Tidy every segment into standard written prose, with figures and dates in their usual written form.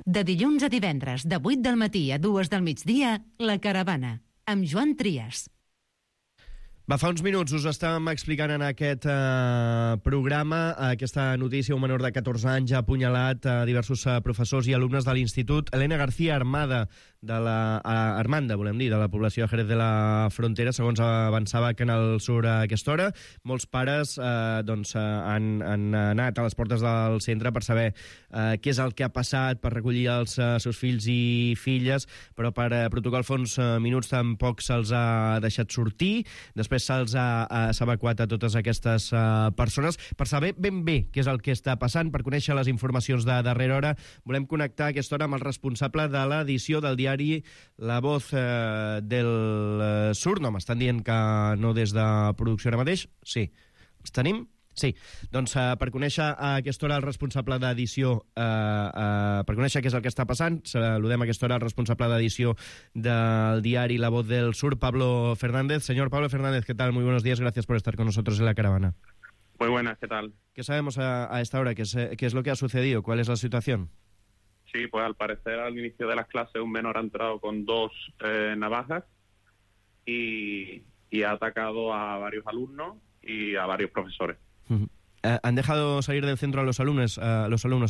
De dilluns a divendres, de 8 del matí a 2 del migdia, La Caravana, amb Joan Trias. Va, fa uns minuts us estàvem explicant en aquest programa aquesta notícia. Un menor de 14 anys ha apunyalat diversos professors i alumnes de l'Institut Elena García Armanda, de la població de Jerez de la Frontera, segons avançava que en el Sur a aquesta hora. Molts pares han anat a les portes del centre per saber què és el que ha passat, per recollir els seus fills i filles, però per protocol fa uns minuts tampoc se'ls ha deixat sortir. Després s'ha evacuat a totes aquestes persones. Per saber ben bé què és el que està passant, per conèixer les informacions de darrera hora, volem connectar a aquesta hora amb el responsable de l'edició del diari La Voz del Sur. No, m'estan dient que no des de producció ara mateix. Sí. Els tenim? Sí, doncs per conèixer a aquesta hora el responsable d'edició, per conèixer què és el que està passant, saludem a aquesta hora el responsable d'edició del diari La Voz del Sur, Pablo Fernández. Señor Pablo Fernández, ¿qué tal? Muy buenos días, gracias por estar con nosotros en La Caravana. Muy buenas, ¿qué tal? ¿Qué sabemos a esta hora? ¿Qué es lo que ha sucedido? ¿Cuál es la situación? Sí, pues al parecer al inicio de las clases un menor ha entrado con 2 navajas y ha atacado a varios alumnos y a varios profesores. ¿Han dejado salir del centro a los alumnos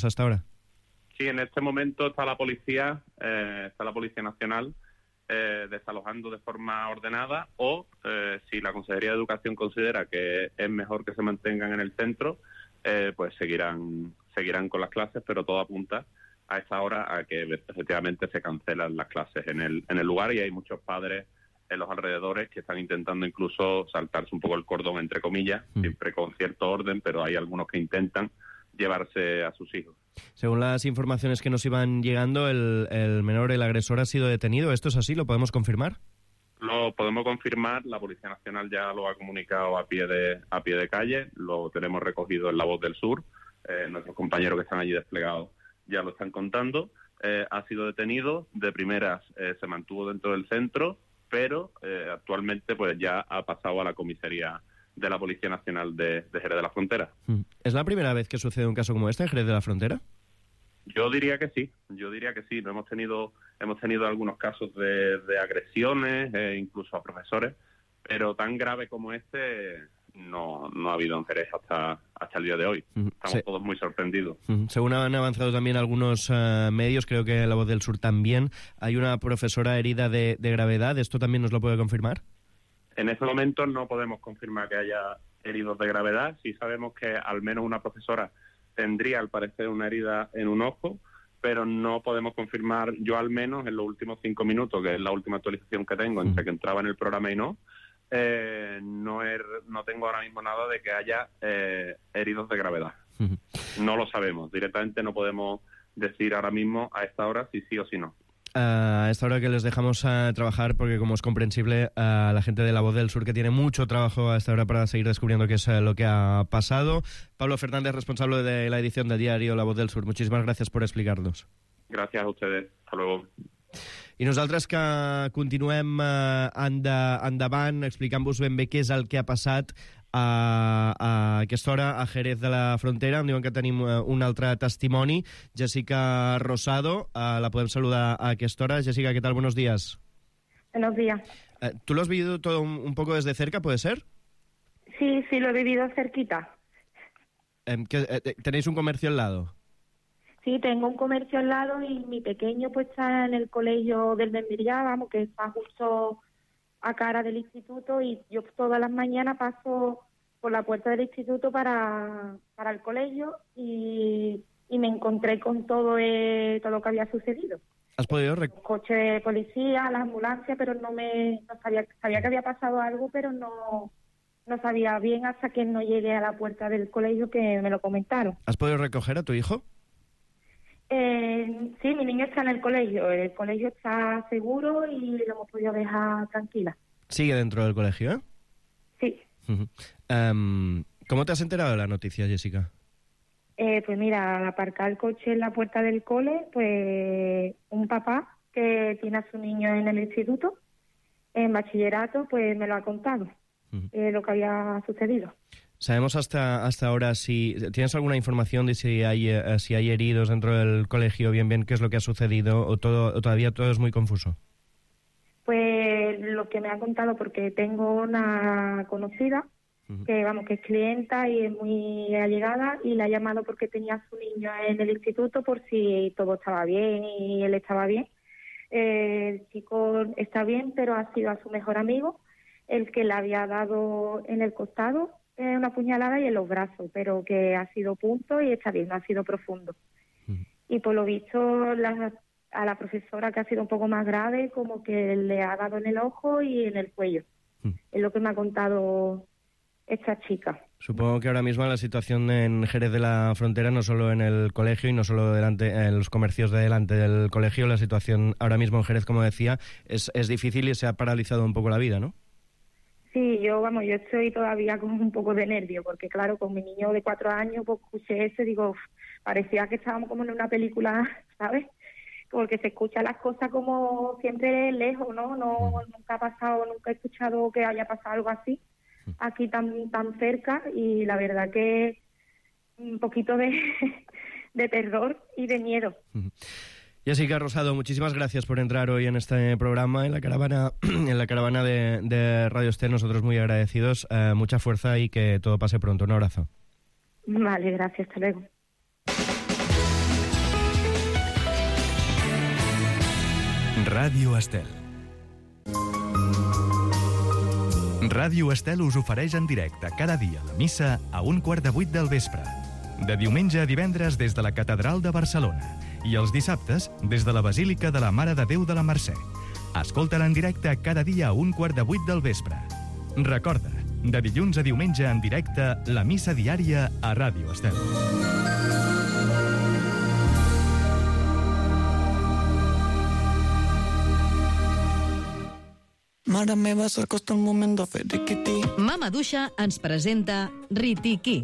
hasta ahora? Sí, en este momento está la Policía Nacional desalojando de forma ordenada o, si la Consejería de Educación considera que es mejor que se mantengan en el centro, pues seguirán con las clases, pero todo apunta a esta hora a que efectivamente se cancelan las clases en el lugar, y hay muchos padres en los alrededores que están intentando incluso saltarse un poco el cordón, entre comillas, siempre con cierto orden, pero hay algunos que intentan llevarse a sus hijos. Según las informaciones que nos iban llegando, el menor, el agresor, ha sido detenido. ¿Esto es así? ¿Lo podemos confirmar? Lo podemos confirmar, la Policía Nacional ya lo ha comunicado a pie de calle, lo tenemos recogido en La Voz del Sur, nuestros compañeros que están allí desplegados ya lo están contando. Ha sido detenido, de primeras se mantuvo dentro del centro, pero actualmente pues ya ha pasado a la comisaría de la Policía Nacional de Jerez de la Frontera. ¿Es la primera vez que sucede un caso como este en Jerez de la Frontera? Yo diría que sí. No hemos tenido algunos casos de agresiones, incluso a profesores, pero tan grave como este no ha habido en Jerez hasta el día de hoy. Estamos todos muy sorprendidos. Según han avanzado también algunos medios, creo que La Voz del Sur también, hay una profesora herida de gravedad. ¿Esto también nos lo puede confirmar? En este momento no podemos confirmar que haya heridos de gravedad. Sí sabemos que al menos una profesora tendría, al parecer, una herida en un ojo, pero no podemos confirmar, yo al menos en los últimos 5 minutos, que es la última actualización que tengo, entre que entraba en el programa y no tengo ahora mismo nada de que haya heridos de gravedad. No lo sabemos. Directamente no podemos decir ahora mismo a esta hora si sí o si no. A esta hora que les dejamos trabajar, porque como es comprensible, la gente de La Voz del Sur, que tiene mucho trabajo a esta hora para seguir descubriendo qué es lo que ha pasado. Pablo Fernández, responsable de la edición del diario La Voz del Sur, muchísimas gracias por explicarnos. Gracias a ustedes. Hasta luego. I nosaltres que continuem endavant explicant-vos ben bé què és el que ha passat a aquesta hora a Jerez de la Frontera. Em diuen que tenim un altre testimoni, Jessica Rosado. La podem saludar a aquesta hora. Jessica, ¿qué tal? Buenos días. Buenos días. ¿Tú lo has vivido todo un poco desde cerca, puede ser? Sí, lo he vivido cerquita. ¿Tenéis un comercio al lado? Sí, tengo un comercio al lado y mi pequeño pues está en el colegio del Membillá, vamos, que está justo a cara del instituto, y yo todas las mañanas paso por la puerta del instituto para el colegio y me encontré con todo lo que había sucedido. ¿Has podido el coche de policía, la ambulancia, pero no sabía que había pasado algo, pero no sabía bien hasta que no llegué a la puerta del colegio que me lo comentaron. ¿Has podido recoger a tu hijo? Sí, mi niño está en el colegio está seguro y lo hemos podido dejar tranquila. ¿Sigue dentro del colegio, eh? Sí. ¿Cómo te has enterado de la noticia, Jessica? Pues mira, al aparcar el coche en la puerta del cole, pues un papá que tiene a su niño en el instituto, en bachillerato, pues me lo ha contado, lo que había sucedido. ¿Sabemos hasta ahora si tienes alguna información de si hay heridos dentro del colegio, bien qué es lo que ha sucedido, o todavía todo es muy confuso? Pues lo que me ha contado, porque tengo una conocida que es clienta y es muy allegada, y la ha llamado porque tenía a su niño en el instituto por si todo estaba bien y él estaba bien. El chico está bien, pero ha sido a su mejor amigo el que le había dado en el costado una puñalada y en los brazos, pero que ha sido punto y está bien, no ha sido profundo. Y por lo visto a la profesora, que ha sido un poco más grave, como que le ha dado en el ojo y en el cuello. Es lo que me ha contado esta chica. Supongo que ahora mismo la situación en Jerez de la Frontera, no solo en el colegio y no solo en los comercios de delante del colegio, la situación ahora mismo en Jerez, como decía, es difícil y se ha paralizado un poco la vida, ¿no? Sí, yo estoy todavía con un poco de nervio, porque claro, con mi niño de 4 años, pues escuché eso y digo, parecía que estábamos como en una película, ¿sabes? Porque se escuchan las cosas como siempre lejos, ¿no? Nunca ha pasado, nunca he escuchado que haya pasado algo así aquí tan cerca, y la verdad que un poquito de terror y de miedo. Jessica Rosado, muchísimas gracias por entrar hoy en este programa, en la caravana de Radio Estel. Nosotros muy agradecidos, mucha fuerza y que todo pase pronto. Un abrazo. Vale, gracias, hasta luego. Ràdio Estel. Ràdio Estel us ofereix en directe cada dia la missa a 7:15 del vespre. De diumenge a divendres des de la Catedral de Barcelona i els dissabtes des de la Basílica de la Mare de Déu de la Mercè. Escolta-la en directe cada dia a 7:15 del vespre. Recorda, de dilluns a diumenge en directe, la missa diària a Ràdio Estel. Mare meva, s'acosta el moment de fer riquití. Mama Duixa ens presenta Ritiquí.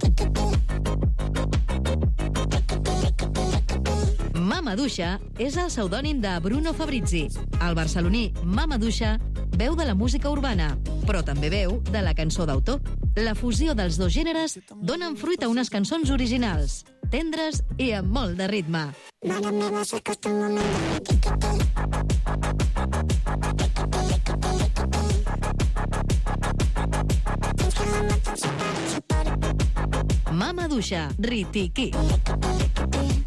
Mama Duixa és el pseudònim de Bruno Fabrizi. El barceloní Mama Duixa veu de la música urbana, però també veu de la cançó d'autor. La fusió dels dos gèneres donen fruit a unes cançons originals, tendres i amb molt de ritme. Mare meva, s'acosta el moment de fer riquití. Mama Duixa, Ritiquí.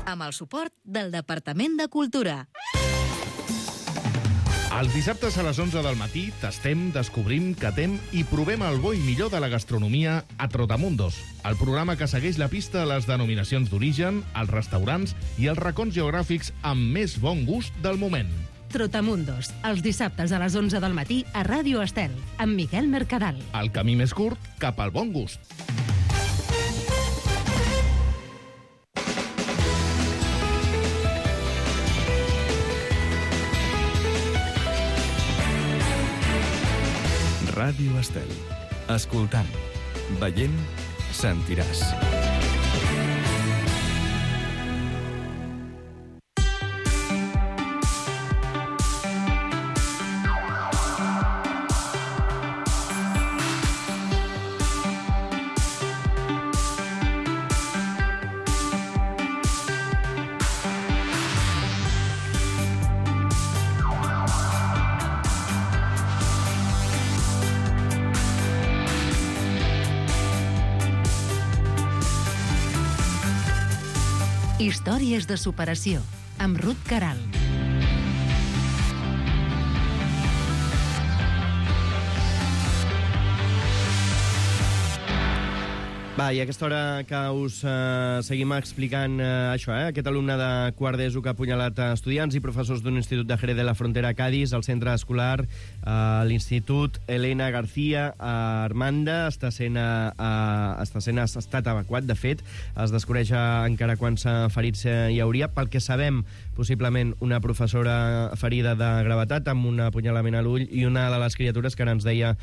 Amb el suport del Departament de Cultura. Els dissabtes a les 11 del matí tastem, descobrim, catem i provem el bo i millor de la gastronomia a Trotamundos, el programa que segueix la pista a les denominacions d'origen, els restaurants i els racons geogràfics amb més bon gust del moment. Trotamundos, els dissabtes a les 11 del matí a Ràdio Estel, amb Miquel Mercadal. El camí més curt cap al bon gust. Ràdio Estel. Escoltant, veient, sentiràs. Històries de superació, amb Ruth Caral. Va, i a aquesta hora que us seguim explicant això, aquest alumne de quart d'ESO que ha apunyalat estudiants i professors d'un institut de Jerez de la Frontera a Cádiz, al centre escolar, l'Institut Elena García Armanda, ha estat evacuat. De fet, es desconeix encara quants ferits hi hauria. Pel que sabem, possiblement una professora ferida de gravetat amb un apunyalament a l'ull, i una de les criatures que ara ens deia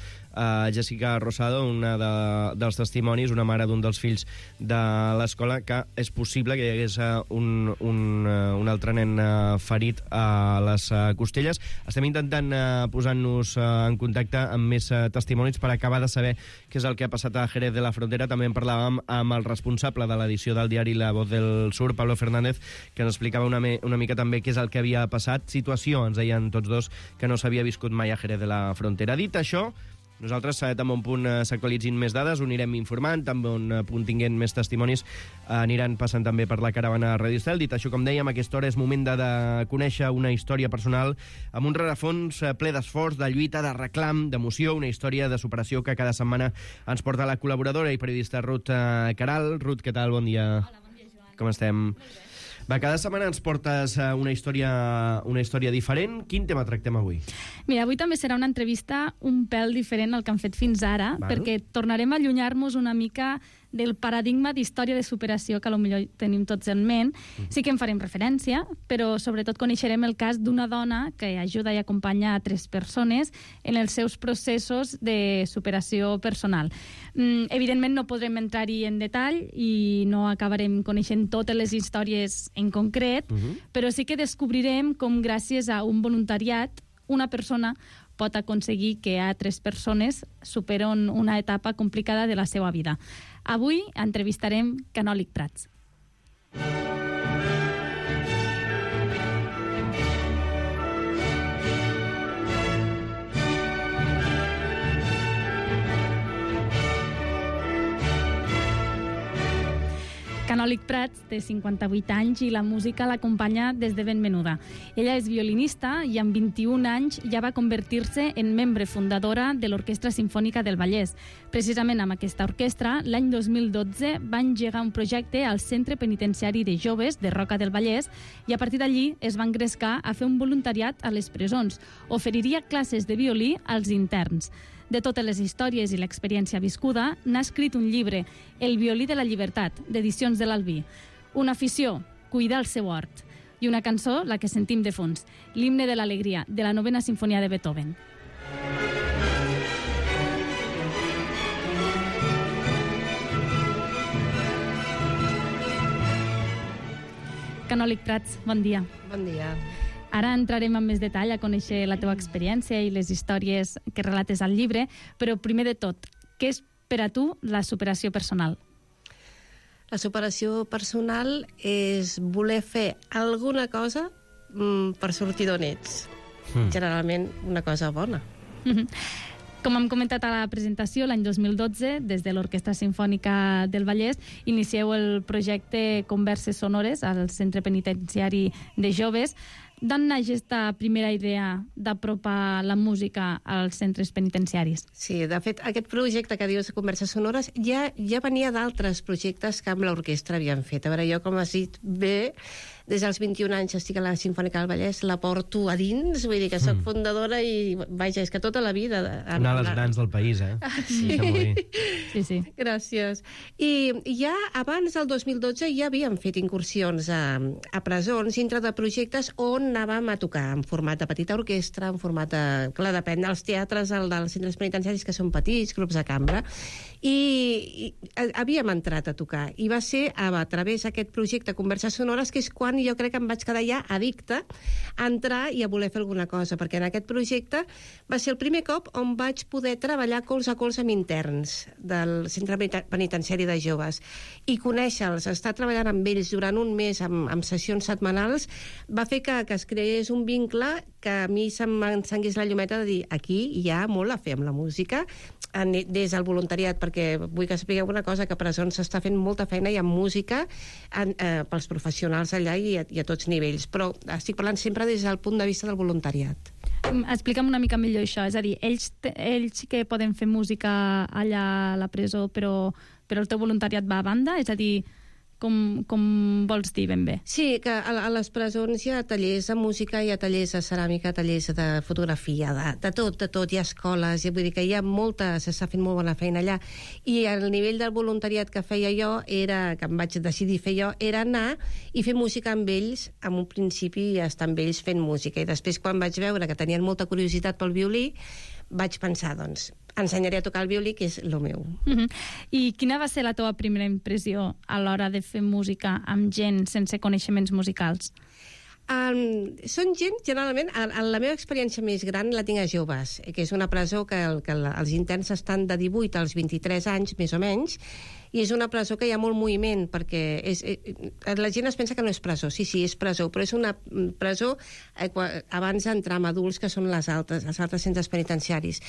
Jessica Rosado, una dels testimonis, una mare mare d'un dels fills de l'escola, que és possible que hi hagués un altre nen ferit a les costelles. Estem intentant posar-nos en contacte amb més testimonis per acabar de saber què és el que ha passat a Jerez de la Frontera. També en parlàvem amb el responsable de l'edició del diari La Voz del Sur, Pablo Fernández, que ens explicava una mica també què és el que havia passat. Situació, ens deien tots dos, que no s'havia viscut mai a Jerez de la Frontera. Dit això, nosaltres, també on punt s'actualitzin més dades, ho anirem informant, també on punt tinguent més testimonis, aniran passant també per la caravana Radio Estel. Dit això, com dèiem, a aquesta hora és moment de conèixer una història personal amb un rerefons ple d'esforç, de lluita, de reclam, d'emoció, una història de superació que cada setmana ens porta la col·laboradora i periodista Ruth Caral. Ruth, què tal? Bon dia. Hola, bon dia, Joan. Com estem? Va, cada setmana ens portes una història diferent. Quin tema tractem avui? Mira, avui també serà una entrevista un pèl diferent al que han fet fins ara, perquè tornarem a allunyar-nos una mica del paradigma d'història de superació que potser tenim tots en ment. Sí que en farem referència, però sobretot coneixerem el cas d'una dona que ajuda i acompanya a 3 persones en els seus processos de superació personal. Evidentment no podrem entrar-hi en detall i no acabarem coneixent totes les històries en concret, però sí que descobrirem com gràcies a un voluntariat una persona pot aconseguir que altres persones superen una etapa complicada de la seva vida. Avui entrevistarem Canòlig Prats. Canòlig Prats té 58 anys i la música l'acompanya des de ben menuda. Ella és violinista i amb 21 anys ja va convertir-se en membre fundadora de l'Orquestra Simfònica del Vallès. Precisament amb aquesta orquestra, l'any 2012 va engegar un projecte al Centre Penitenciari de Joves de Roca del Vallès i a partir d'allí es va engrescar a fer un voluntariat a les presons. Oferiria classes de violí als interns. De totes les històries i l'experiència viscuda, n'ha escrit un llibre, El violí de la llibertat, d'Edicions de l'Albí. Una afició, cuidar el seu hort. I una cançó, la que sentim de fons, l'himne de l'alegria, de la 9ª Simfonia de Beethoven. Canòlig Prats, bon dia. Bon dia. Ara entrarem en més detall a conèixer la teva experiència i les històries que relates al llibre, però primer de tot, què és per a tu la superació personal? La superació personal és voler fer alguna cosa per sortir d'on ets. Generalment una cosa bona. Com hem comentat a la presentació, l'any 2012, des de l'Orquestra Simfònica del Vallès, inicieu el projecte Converses Sonores al Centre Penitenciari de Joves. D'on naix aquesta primera idea d'apropar la música als centres penitenciaris? Sí, de fet, aquest projecte que dius de Converses Sonores ja venia d'altres projectes que amb l'orquestra havien fet. A veure, jo, com has dit bé, des dels 21 anys estic a la Simfònica del Vallès, la porto a dins, vull dir que soc fundadora i, vaja, és que tota la vida... Una de les grans del país, eh? Sí. Sí. Gràcies. I ja abans del 2012 ja havíem fet incursions a presons dintre de projectes on anàvem a tocar en format de petita orquestra, en format de... Clar, depèn dels teatres, dels centres penitenciaris, que són petits, grups de cambra, i havíem entrat a tocar. I va ser a través d'aquest projecte Converses Sonores que és quan jo crec que em vaig quedar ja addicta a entrar i a voler fer alguna cosa, perquè en aquest projecte va ser el primer cop on vaig poder treballar colze a colze amb interns del Centre Penitenciari de Joves i conèixer-los, estar treballant amb ells durant un mes amb sessions setmanals, va fer que es creés un vincle que a mi se'm encengués la llumeta de dir aquí hi ha molt a fer amb la música des del voluntariat, perquè vull que sapigueu una cosa, que a presons s'està fent molta feina i amb música pels professionals allà i a tots nivells, però estic parlant sempre des del punt de vista del voluntariat. Explica'm una mica millor això, és a dir, ells sí que poden fer música allà a la presó, però el teu voluntariat va a banda? És a dir, com vols dir ben bé? Sí, que a les presons hi ha tallers de música, hi ha tallers de ceràmica, tallers de fotografia, de tot, hi ha escoles, vull dir que hi ha s'està fent molt bona feina allà, i el nivell del voluntariat que feia jo, que em vaig decidir fer jo, era anar i fer música amb ells, en un principi estar amb ells fent música, i després quan vaig veure que tenien molta curiositat pel violí, vaig pensar, doncs, ensenyaré a tocar el violí, que és el meu. I quina va ser la teva primera impressió a l'hora de fer música amb gent sense coneixements musicals? Són gent, generalment, la meva experiència més gran la tinc a joves, que és una presó que els interns estan de 18 als 23 anys, més o menys, i és una presó que hi ha molt moviment, perquè la gent es pensa que no és presó. Sí, és presó, però és una presó abans d'entrar amb adults, que són els altres centres penitenciaris.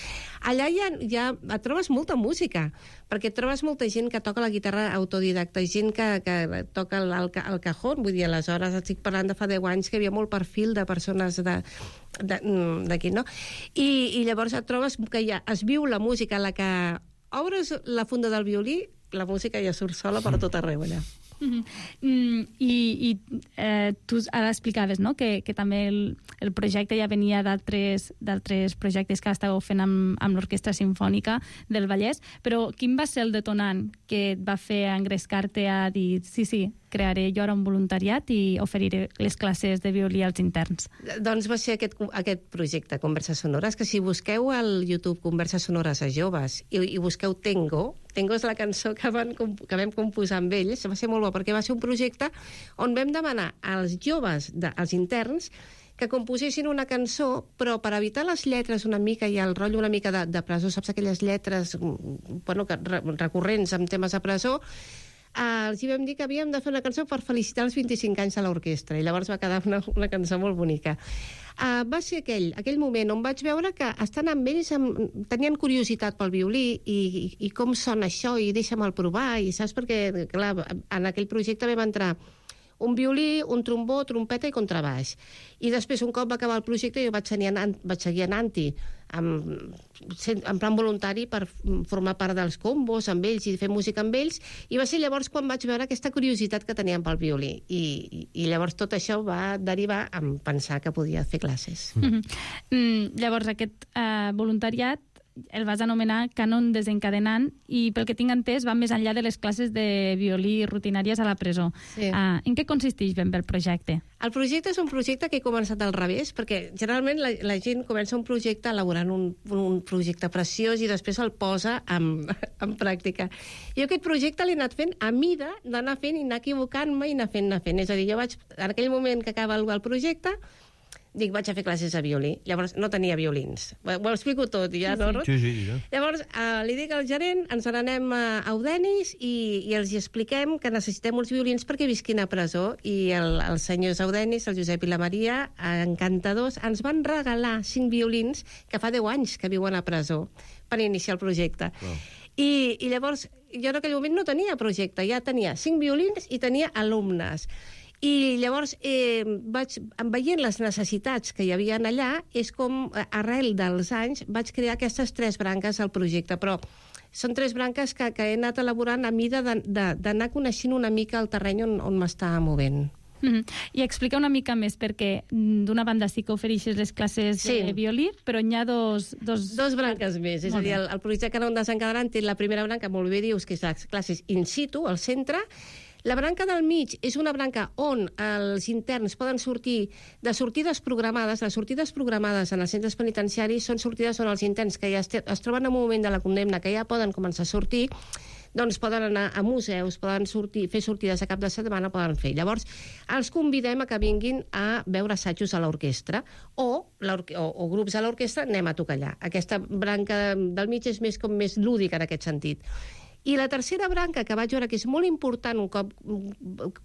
Allà ja trobes molta música, perquè trobes molta gent que toca la guitarra autodidacta, gent que toca el cajón, vull dir, aleshores estic parlant de fa 10 anys que hi havia molt perfil de persones d'aquí, no? I llavors et trobes que ja es viu la música, la que obres la funda del violí, la música ja surt sola per tot arreu allà. I tu ara explicaves, no?, que també el projecte ja venia d'altres projectes que estàveu fent amb l'Orquestra Simfònica del Vallès, però quin va ser el detonant que et va fer engrescar-te a dir sí, crearé jo ara un voluntariat i oferiré les classes de violí als interns? Doncs va ser aquest projecte, Converses Sonores, que si busqueu al YouTube Converses Sonores a joves i busqueu Tengo és la cançó que vam composar amb ells, va ser molt bo, perquè va ser un projecte on vam demanar als joves, als interns, que composessin una cançó, però per evitar les lletres una mica i el rotllo una mica de presó, saps aquelles lletres recurrents amb temes de presó, els hi vam dir que havíem de fer una cançó per felicitar els 25 anys de l'orquestra, i llavors va quedar una cançó molt bonica. Va ser aquell moment on vaig veure que estant amb ells tenien curiositat pel violí i com sona això, i deixa'm-el provar, i saps, perquè clar, en aquell projecte vam entrar un violí, un trombó, trompeta i contrabaix. I després, un cop va acabar el projecte, jo vaig seguir anant-hi en plan voluntari per formar part dels combos amb ells i fer música amb ells, i va ser llavors quan vaig veure aquesta curiositat que tenien pel violí. I llavors tot això va derivar en pensar que podia fer classes. Llavors aquest voluntariat el vas anomenar Cànon Desencadenant, i pel que tinc entès va més enllà de les classes de violí rutinàries a la presó. Sí. En què consisteix ben bé el projecte? El projecte és un projecte que he començat al revés, perquè generalment la gent comença un projecte elaborant un projecte preciós i després el posa en pràctica. Jo aquest projecte l'he anat fent a mida d'anar fent i anar equivocant-me i anar fent. És a dir, jo vaig, en aquell moment que acaba el projecte, dic, vaig a fer classes de violí. Llavors no tenia violins. Ho explico tot, ja, no? Sí. Llavors li dic al gerent, ens n'anem a Eudenis i els expliquem que necessitem uns violins perquè visquin a presó. I els senyors Eudenis, el Josep i la Maria, encantadors, ens van regalar 5 violins que fa 10 anys que viuen a presó per iniciar el projecte. Wow. I llavors, jo en aquell moment no tenia projecte, ja tenia 5 violins i tenia alumnes. I llavors, veient les necessitats que hi havia allà, és com, arrel dels anys, vaig crear aquestes 3 branques al projecte, però són 3 branques que he anat elaborant a mida d'anar coneixent una mica el terreny on m'estava movent. I explica una mica més, perquè d'una banda sí que ofereixes les classes de violí, però hi ha dos branques més. És a dir, el projecte Cànon Desencadenant té la primera branca, molt bé dius, que és les classes in situ, al centre. La branca del mig és una branca on els interns poden sortir de sortides programades. Les sortides programades en els centres penitenciaris són sortides on els interns que ja es troben en un moment de la condemna, que ja poden començar a sortir, doncs poden anar a museus, poden fer sortides a cap de setmana, poden fer. Llavors, els convidem a que vinguin a veure assajos a l'orquestra o grups a l'orquestra, anem a tocar allà. Aquesta branca del mig és més lúdica en aquest sentit. I la tercera branca, que vaig veure que és molt important un cop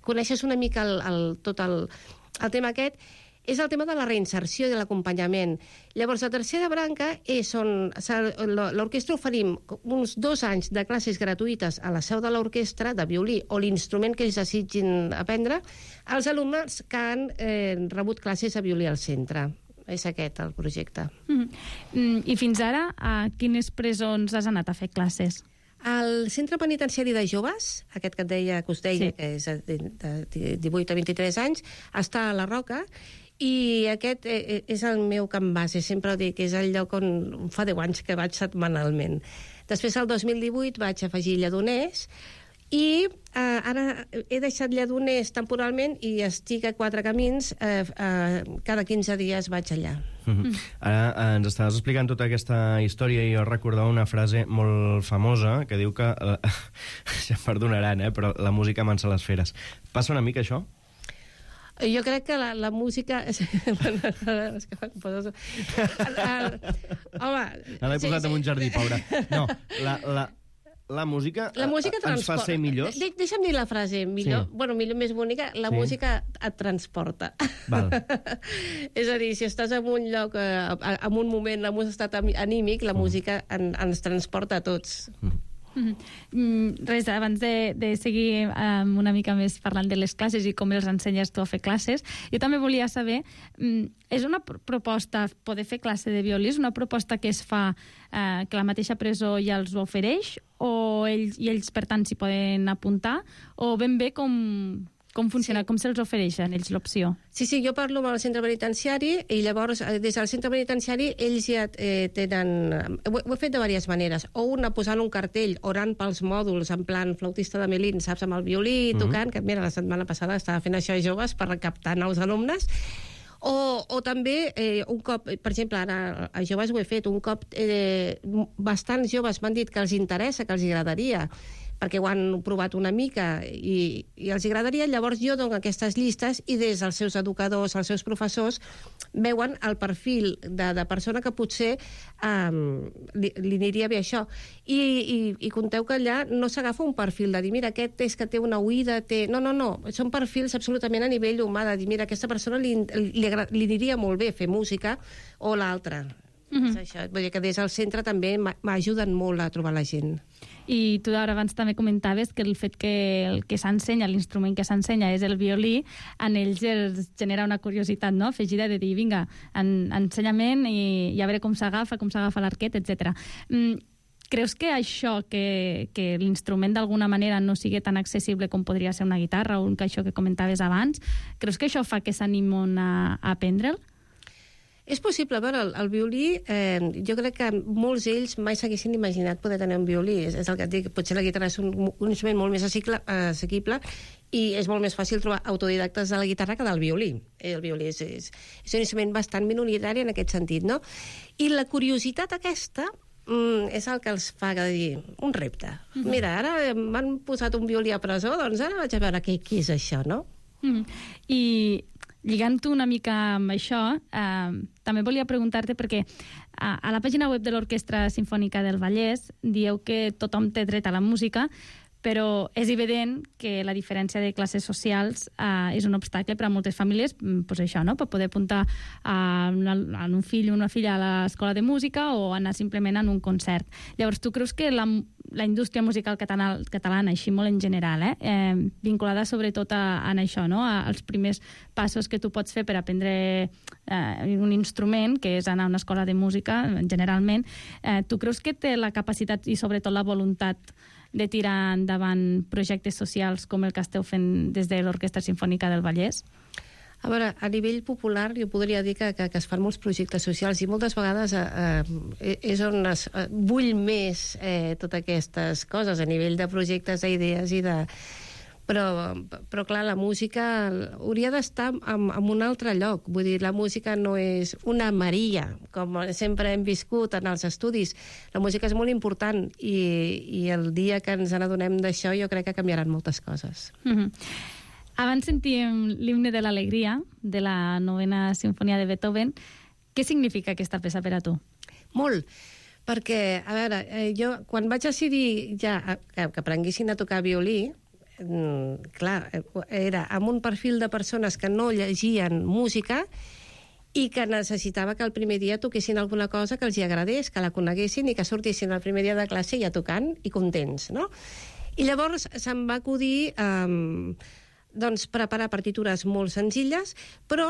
coneixes una mica tot el tema aquest, és el tema de la reinserció i de l'acompanyament. Llavors, la tercera branca és on l'orquestra oferim uns 2 anys de classes gratuïtes a la seu de l'orquestra, de violí, o l'instrument que ells desitgin aprendre, als alumnes que han rebut classes de violí al centre. És aquest el projecte. I fins ara, a quines presons has anat a fer classes? El centre penitenciari de joves, aquest que et deia, que us deia, que és de 18 a 23 anys, està a la Roca, i aquest és el meu camp base. Sempre dic que és el lloc on fa 10 anys que vaig setmanalment. Després, el 2018, vaig afegir Lledoners, I ara he deixat Lledoners temporalment i estic a Quatre Camins. Cada 15 dies vaig allà. Ara ens estaves explicant tota aquesta història i jo recordava una frase molt famosa que diu que, ja em perdonaran, però la música amansa les feres. Passa una mica això? Jo crec que la música... Home... L'he posat en un jardí, pobra. No, la música ens fa ser millors? Deixa'm dir la frase millor, sí. Bueno, millor, més bonica, la música et transporta. Val. És a dir, si estàs en un lloc, en un moment, en un estat anímic, la música ens transporta a tots. Res, abans de seguir una mica més parlant de les classes i com els ensenyes tu a fer classes, jo també volia saber, és una proposta poder fer classe de violí, és una proposta que es fa que la mateixa presó ja els ho ofereix o ells per tant s'hi poden apuntar, o ben bé com funciona, com se'ls ofereixen ells l'opció? Sí, jo parlo amb el centre penitenciari i llavors des del centre penitenciari ells ja tenen... Ho he fet de diverses maneres. O una posant un cartell orant pels mòduls en plan flautista de Melín, saps, amb el violí, tocant, que mira, la setmana passada estava fent això a joves per recaptar nous alumnes. O també, un cop, per exemple, ara a joves ho he fet, un cop bastants joves m'han dit que els interessa, que els agradaria, perquè ho han provat una mica i els agradaria, llavors jo dono aquestes llistes i des dels seus educadors, els seus professors, veuen el perfil de persona que potser li aniria bé això. I conteu que allà no s'agafa un perfil de dir, mira, aquest és que té una oïda, No, són perfils absolutament a nivell humà, de dir, mira, aquesta persona li aniria molt bé fer música o l'altra. És això. Vull dir que des del centre també m'ajuden molt a trobar la gent. I tu ara abans també comentaves que el fet que el que s'ensenya, l'instrument que s'ensenya és el violí, en ells els genera una curiositat, no?, afegida de dir, vinga, ensenyament i a veure com s'agafa l'arquet, etc. Creus que això, que l'instrument d'alguna manera no sigui tan accessible com podria ser una guitarra o això que comentaves abans, creus que això fa que s'animen a aprendre'l? És possible, a veure, el violí, jo crec que molts d'ells mai s'haguessin imaginat poder tenir un violí. És el que et dic, potser la guitarra és un instrument molt més assequible i és molt més fàcil trobar autodidactes de la guitarra que del violí. El violí és un instrument bastant minoritari en aquest sentit, no? I la curiositat aquesta és el que els fa dir un repte. Mira, ara m'han posat un violí a presó, doncs ara vaig a veure què és això, no? I lligant-ho una mica amb això, també volia preguntar-te, perquè a la pàgina web de l'Orquestra Simfònica del Vallès dieu que tothom té dret a la música, però és evident que la diferència de classes socials és un obstacle per a moltes famílies, doncs això, no?, per poder apuntar a un fill o una filla a l'escola de música o anar simplement en un concert. Llavors, tu creus que la indústria musical catalana, així molt en general, vinculada sobretot a això, no?, als primers passos que tu pots fer per aprendre un instrument, que és anar a una escola de música, generalment, tu creus que té la capacitat i sobretot la voluntat de tirar endavant projectes socials com el que esteu fent des de l'Orquestra Simfònica del Vallès? A veure, a nivell popular jo podria dir que es fan molts projectes socials i moltes vegades és on es bull més totes aquestes coses a nivell de projectes, d'idees i de... Però clar, la música hauria d'estar en un altre lloc. Vull dir, la música no és una Maria, com sempre hem viscut en els estudis. La música és molt important i el dia que ens n'adonem d'això jo crec que canviaran moltes coses. Abans sentíem l'himne de l'alegria de la 9ª Simfonia de Beethoven. Què significa aquesta peça per a tu? Molt, perquè, a veure, jo quan vaig decidir ja que aprenguessin a tocar violí, clar, era amb un perfil de persones que no llegien música i que necessitava que el primer dia toquessin alguna cosa que els agradés, que la coneguessin i que sortissin el primer dia de classe ja tocant i contents, no? I llavors se'm va acudir preparar partitures molt senzilles, però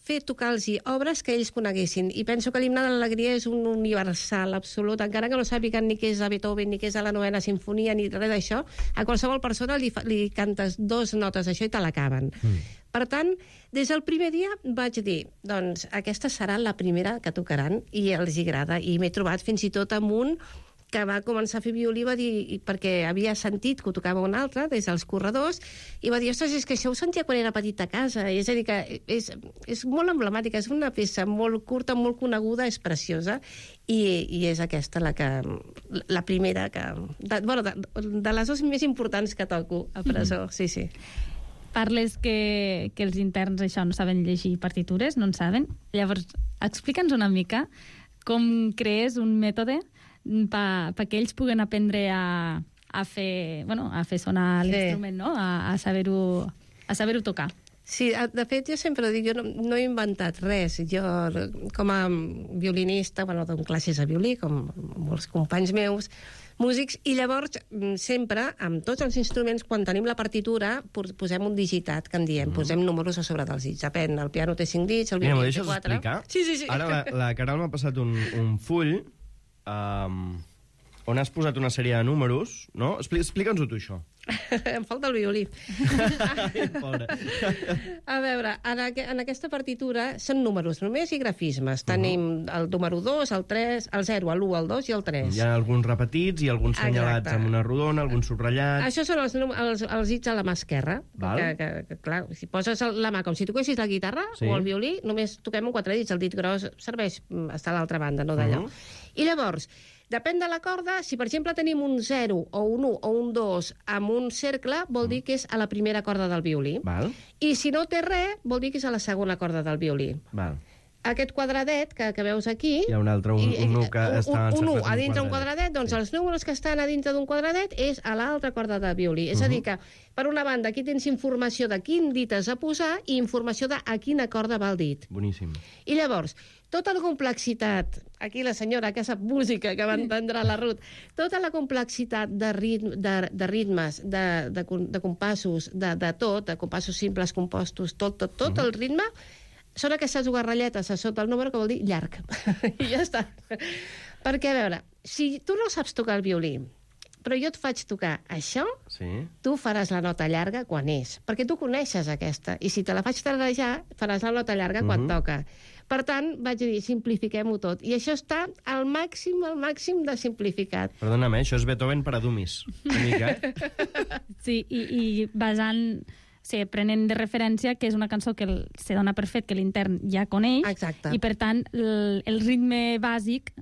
fer tocar-los obres que ells coneguessin. I penso que l'himne de l'alegria és un universal absolut, encara que no sàpiguen ni què és a Beethoven, ni què és a la 9ª Simfonia, ni res d'això, a qualsevol persona li cantes 2 notes d'això i te l'acaben. Per tant, des del primer dia vaig dir, doncs aquesta serà la primera que tocaran i els agrada. I m'he trobat fins i tot amb un que va començar a fer violí, va dir, perquè havia sentit que ho tocava un altre, des dels corredors, i va dir, ostres, és que això ho sentia quan era petit a casa. És a dir, que és molt emblemàtica, és una peça molt curta, molt coneguda, és preciosa, i és aquesta la primera de les dues més importants que toco a presó, sí. Parles que els interns això no saben llegir partitures, no en saben. Llavors, explica'ns una mica com crees un mètode perquè ells puguen aprendre a fer sonar l'instrument, no? A saber-ho tocar. Sí, de fet, jo sempre dic, jo no he inventat res. Jo, com a violinista, dono classes de violí, com molts companys meus, músics, i llavors sempre, amb tots els instruments, quan tenim la partitura, posem un digitat, que en diem, posem números a sobre dels dits. Depèn, el piano té 5 dits, el violí té 4. M'ho deixes explicar? Sí. Ara la Caral m'ha passat un full on has posat una sèrie de números, no? Explica'ns-ho tu, això. Em falta el violí. Pobre. A veure, en aquesta partitura són números només i grafismes. Tenim el número 2, el 3, el 0, l'1, el 2 i el 3. Hi ha alguns repetits i alguns senyalats amb una rodona, alguns subratllats. Això són els dits a la mà esquerra. Que, clar, si poses la mà com si toquessis la guitarra o el violí, només toquem amb 4 dits. El dit gros serveix estar a l'altra banda, no d'allò. I llavors, depèn de la corda, si per exemple tenim un 0 o un 1 o un 2 amb un cercle, vol dir que és a la primera corda del violí. I si no té res, vol dir que és a la segona corda del violí. Aquest quadradet que veus aquí... Hi ha un altre, un 1 que està un 1 a dintre d'un quadradet, doncs els números que estan a dintre d'un quadradet és a l'altra corda de violí. És a dir que, per una banda, aquí tens informació de quin dit has de posar i informació de a quina corda va el dit. Boníssim. I llavors, tota la complexitat, aquí la senyora que sap música, que va entendre la Ruth, tota la complexitat de ritmes, de compassos, de tot, de compassos simples, compostos, tot el ritme, són aquestes dues ratlletes a sota el número que vol dir llarg. I ja està. Perquè, a veure, si tu no saps tocar el violí, però jo et faig tocar això, tu faràs la nota llarga quan és. Perquè tu coneixes aquesta. I si te la faig tararejar, faràs la nota llarga quan toca. Per tant, vaig dir, simplifiquem-ho tot. I això està al màxim de simplificat. Perdona'm, això és Beethoven per a dummies. Una mica. Sí, i basant... Sí, prenent de referència que és una cançó que se dona per fet que l'intern ja coneix. Exacte. I, per tant, el ritme bàsic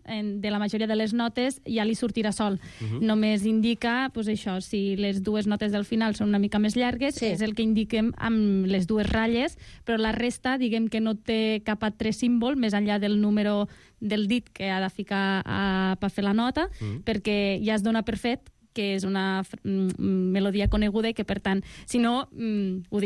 de la majoria de les notes ja li sortirà sol. Només indica, doncs això, si les dues notes del final són una mica més llargues, és el que indiquem amb les dues ratlles, però la resta, diguem que no té cap altre símbol més enllà del número del dit que ha de ficar per fer la nota, perquè ja es dona per fet que és una melodia coneguda i que, per tant, si no, ho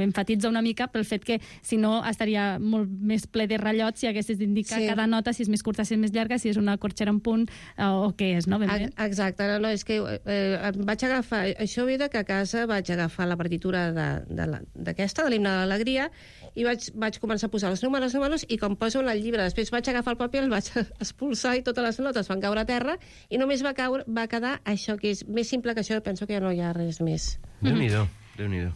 enfatitza una mica pel fet que, si no, estaria molt més ple de ratllots si haguessis d'indicar cada nota, si és més curta, si és més llarga, si és una corxera en punt, o què és, no? Ben bé. Exacte, no, és que vaig agafar... Això ve que a casa vaig agafar la partitura d'aquesta, de l'Himne de l'Alegria, i vaig començar a posar els números, i com poso en el llibre, després vaig agafar el paper, el vaig expulsar i totes les notes van caure a terra, i només va quedar això, que és més simple que això, penso que ja no hi ha res més. Déu-n'hi-do, Déu-n'hi-do.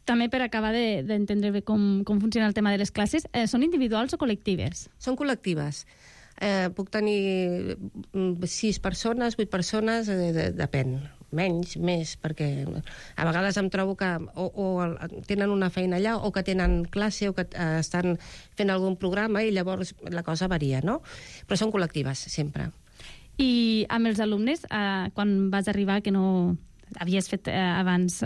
També per acabar d'entendre bé com funciona el tema de les classes, són individuals o col·lectives? Són col·lectives. Puc tenir 6 persones, 8 persones, depèn. Menys, més, perquè a vegades em trobo que o tenen una feina allà, o que tenen classe, o que estan fent algun programa, i llavors la cosa varia, no? Però són col·lectives, sempre. I amb els alumnes, quan vas arribar, que no havies fet abans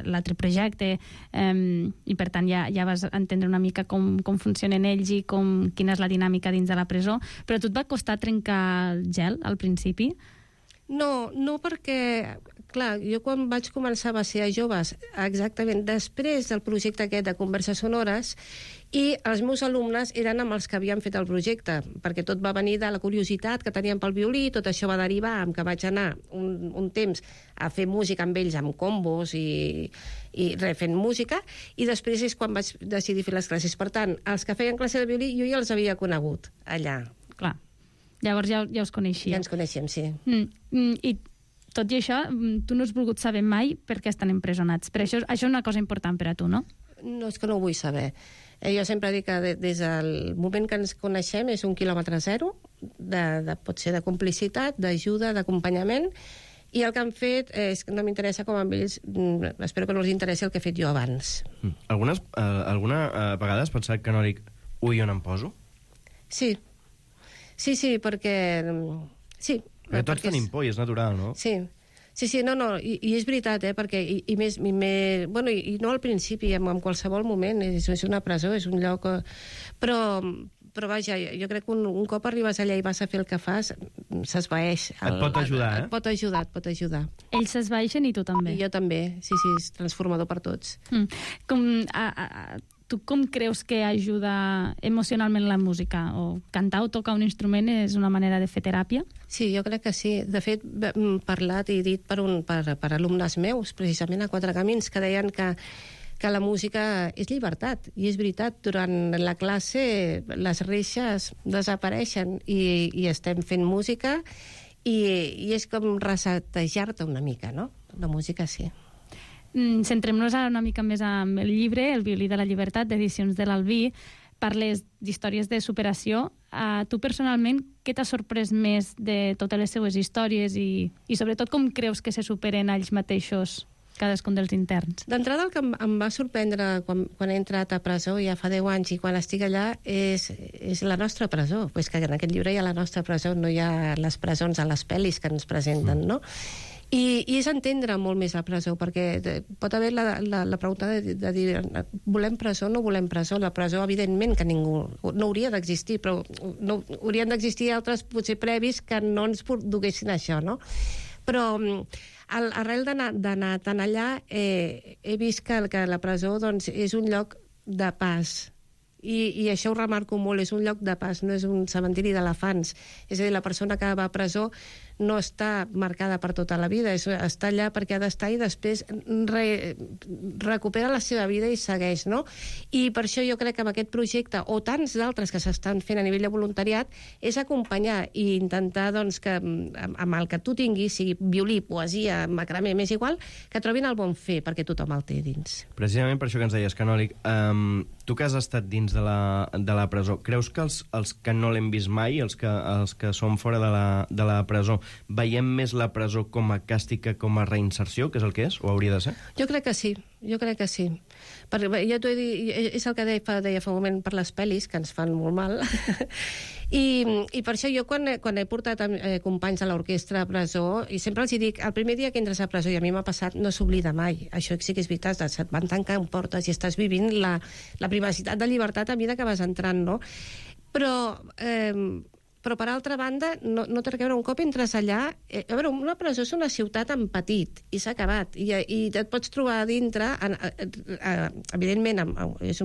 l'altre projecte, i per tant ja vas entendre una mica com funcionen ells i quina és la dinàmica dins de la presó, però a tu et va costar trencar el gel al principi? No, perquè, clar, jo quan vaig començar va ser a joves, exactament després del projecte aquest de Converses Sonores, i els meus alumnes eren amb els que havien fet el projecte, perquè tot va venir de la curiositat que tenien pel violí, tot això va derivar amb que vaig anar un temps a fer música amb ells, amb combos i fent música, i després és quan vaig decidir fer les classes. Per tant, els que feien classe de violí jo ja els havia conegut allà. Clar. Llavors ja us coneixia. Ja ens coneixem, sí. I tot i això, tu no has volgut saber mai per què estan empresonats. Però això és una cosa important per a tu, no? No, és que no ho vull saber. Jo sempre dic que des del moment que ens coneixem és un quilòmetre zero, pot ser de complicitat, d'ajuda, d'acompanyament, i el que han fet és que no m'interessa com amb ells, espero que no els interessi el que he fet jo abans. Alguna vegada has pensat, Canòlic, ui, on em poso? Sí, perquè... Sí, perquè tots tenim por i és natural, no? Sí, no, i és veritat, perquè bueno, i no al principi, en qualsevol moment, és una presó, és un lloc... Però vaja, jo crec que un cop arribes allà i vas a fer el que fas, s'esvaeix. Et pot ajudar, Et pot ajudar. Ells s'esvaeixen i tu també. I jo també, sí, és transformador per tots. Tu com creus que ajuda emocionalment la música? O cantar o tocar un instrument és una manera de fer teràpia? Sí, jo crec que sí. De fet, parlat i dit per alumnes meus, precisament a Quatre Camins, que deien que la música és llibertat. I és veritat, durant la classe les reixes desapareixen i estem fent música i és com resetejar-te una mica, no? La música sí. Centrem-nos ara una mica més amb el llibre, El violí de la llibertat, d'Edicions de l'Albí. Parles d'històries de superació. Tu personalment, què t'ha sorprès més de totes les seues històries i sobretot com creus que se superen ells mateixos cadascun dels interns? D'entrada, el que em va sorprendre quan he entrat a presó ja fa 10 anys i quan estic allà és la nostra presó. Pues que en aquest llibre hi ha la nostra presó, no hi ha les presons a les pel·lis que ens presenten, no? I és entendre molt més la presó, perquè pot haver la pregunta de dir volem presó o no volem presó. La presó, evidentment, que ningú no hauria d'existir, però no, haurien d'existir altres potser previs que no ens duguessin això, no? Però arrel d'anar tant allà he vist que la presó doncs, és un lloc de pas. I això ho remarco molt, és un lloc de pas, no és un cementiri d'elefants. És a dir, la persona que va a presó no està marcada per tota la vida, està allà perquè ha d'estar i després recupera la seva vida i segueix, no? I per això jo crec que amb aquest projecte, o tants d'altres que s'estan fent a nivell de voluntariat, és acompanyar i intentar doncs, que amb el que tu tinguis, sigui violí, poesia, macramé, m'és igual, que trobin el bon fer, perquè tothom el té dins. Precisament per això que ens deies, Canòlic, tu que has estat dins de la presó, creus que els que no l'hem vist mai, els que som fora de la presó, veiem més la presó com a càstig que com a reinserció, que és el que és, o hauria de ser? Jo crec que sí. Perquè ja t'ho he dit, és el que deia fa un moment per les pel·lis, que ens fan molt mal, i per això jo quan he portat companys a l'orquestra a presó, i sempre els dic, el primer dia que entres a presó, i a mi m'ha passat, no s'oblida mai, això sí que és veritat, se't van tancant portes i estàs vivint la privacitat de llibertat a mesura que vas entrant, no? Però per altra banda, no té a veure, un cop entres allà... A veure, una presó és una ciutat en petit, i s'ha acabat. I et pots trobar a dintre, evidentment, és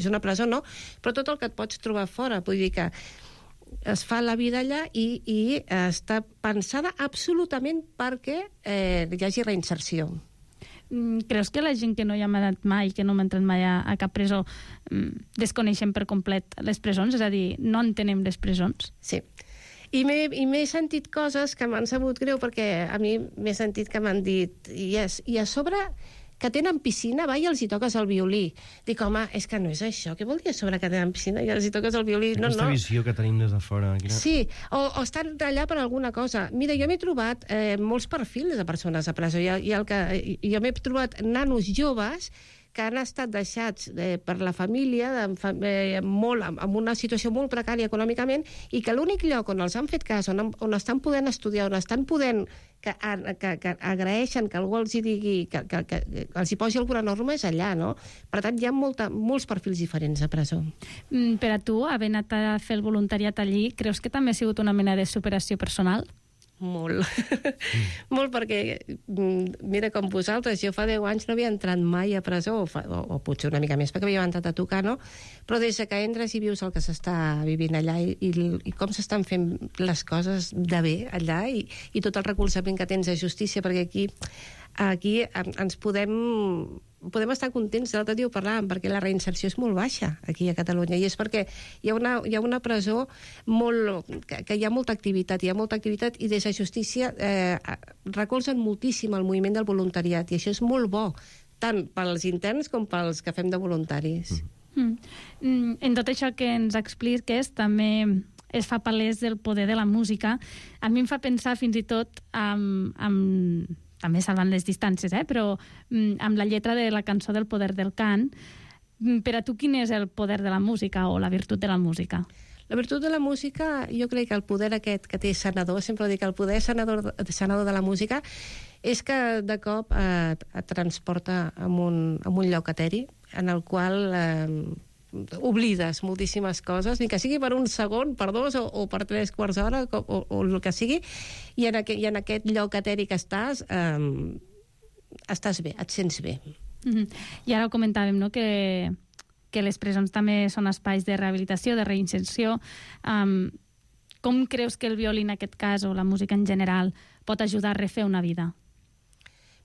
una presó, no? Però tot el que et pots trobar fora, vull dir que es fa la vida allà i està pensada absolutament perquè hi hagi reinserció. Creus que la gent que no hi ha anat mai, que no hem entrat mai a cap presó, desconeixen per complet les presons? És a dir, no entenem les presons? Sí. I m'he sentit coses que m'han sabut greu, perquè a mi m'he sentit que m'han dit i a sobre que tenen piscina, va, i els hi toques el violí. Dic, home, és que no és això. Què vol dir a sobre que tenen piscina i els hi toques el violí? Aquesta visió que tenim des de fora. Sí, o estan allà per alguna cosa. Mira, jo m'he trobat molts perfils de persones a presó. Jo m'he trobat nanos joves que han estat deixats per la família amb una situació molt precària econòmicament i que l'únic lloc on els han fet cas, on estan podent estudiar, on estan podent que agraeixen que algú els hi digui, que els hi posi alguna norma, és allà, no? Per tant, hi ha molts perfils diferents a presó. Per a tu, haver anat a fer el voluntariat allí, creus que també ha sigut una mena de superació personal? Molt. Molt, perquè, mira, com vosaltres, jo fa 10 anys no havia entrat mai a presó, o potser una mica més, perquè havia entrat a tocar, no? Però des que entres i vius el que s'està vivint allà i com s'estan fent les coses de bé allà i tot el recolzament que tens de justícia, perquè aquí ens podem estar contents. L'altre dia ho parlàvem, perquè la reinserció és molt baixa aquí a Catalunya, i és perquè hi ha una presó que hi ha molta activitat, i des de justícia recolzen moltíssim el moviment del voluntariat, i això és molt bo, tant pels interns com pels que fem de voluntaris. En tot això que ens expliques, també es fa palès el poder de la música. A mi em fa pensar fins i tot també salvant les distàncies, però amb la lletra de la cançó del poder del cant. Per a tu, quin és el poder de la música o la virtut de la música? La virtut de la música, jo crec que el poder aquest que té sanador, sempre dic, el poder sanador de la música és que de cop et transporta a un lloc eteri en el qual oblides moltíssimes coses, ni que sigui per un segon, per dos o per 3 quarts d'hora o el que sigui, i en aquest lloc eteri que estàs bé, et sents bé. I ara ho comentàvem, no?, que les presons també són espais de rehabilitació, de reinserció. Com creus que el violí en aquest cas, o la música en general, pot ajudar a refer una vida?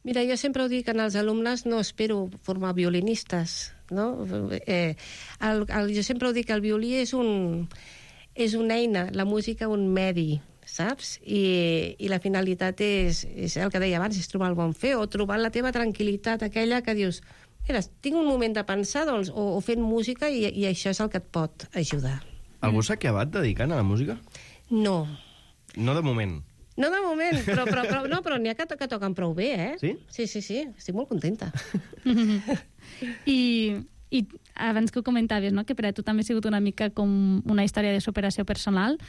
Mira, jo sempre ho dic, en els alumnes no espero formar violinistes, no? Jo sempre ho dic, el violí és una eina, la música un medi, saps? I la finalitat és el que deia abans, és trobar el bon fer, o trobar la teva tranquil·litat, aquella que dius, mira, tinc un moment de pensar, doncs, o fent música, i això és el que et pot ajudar. Algú s'ha acabat dedicant a la música? No. No de moment. No de moment, però n'hi ha que toquen prou bé, eh? Sí? Sí, estic molt contenta. I abans que ho comentaves, no?, que per a tu també ha sigut una mica com una història de superació personal.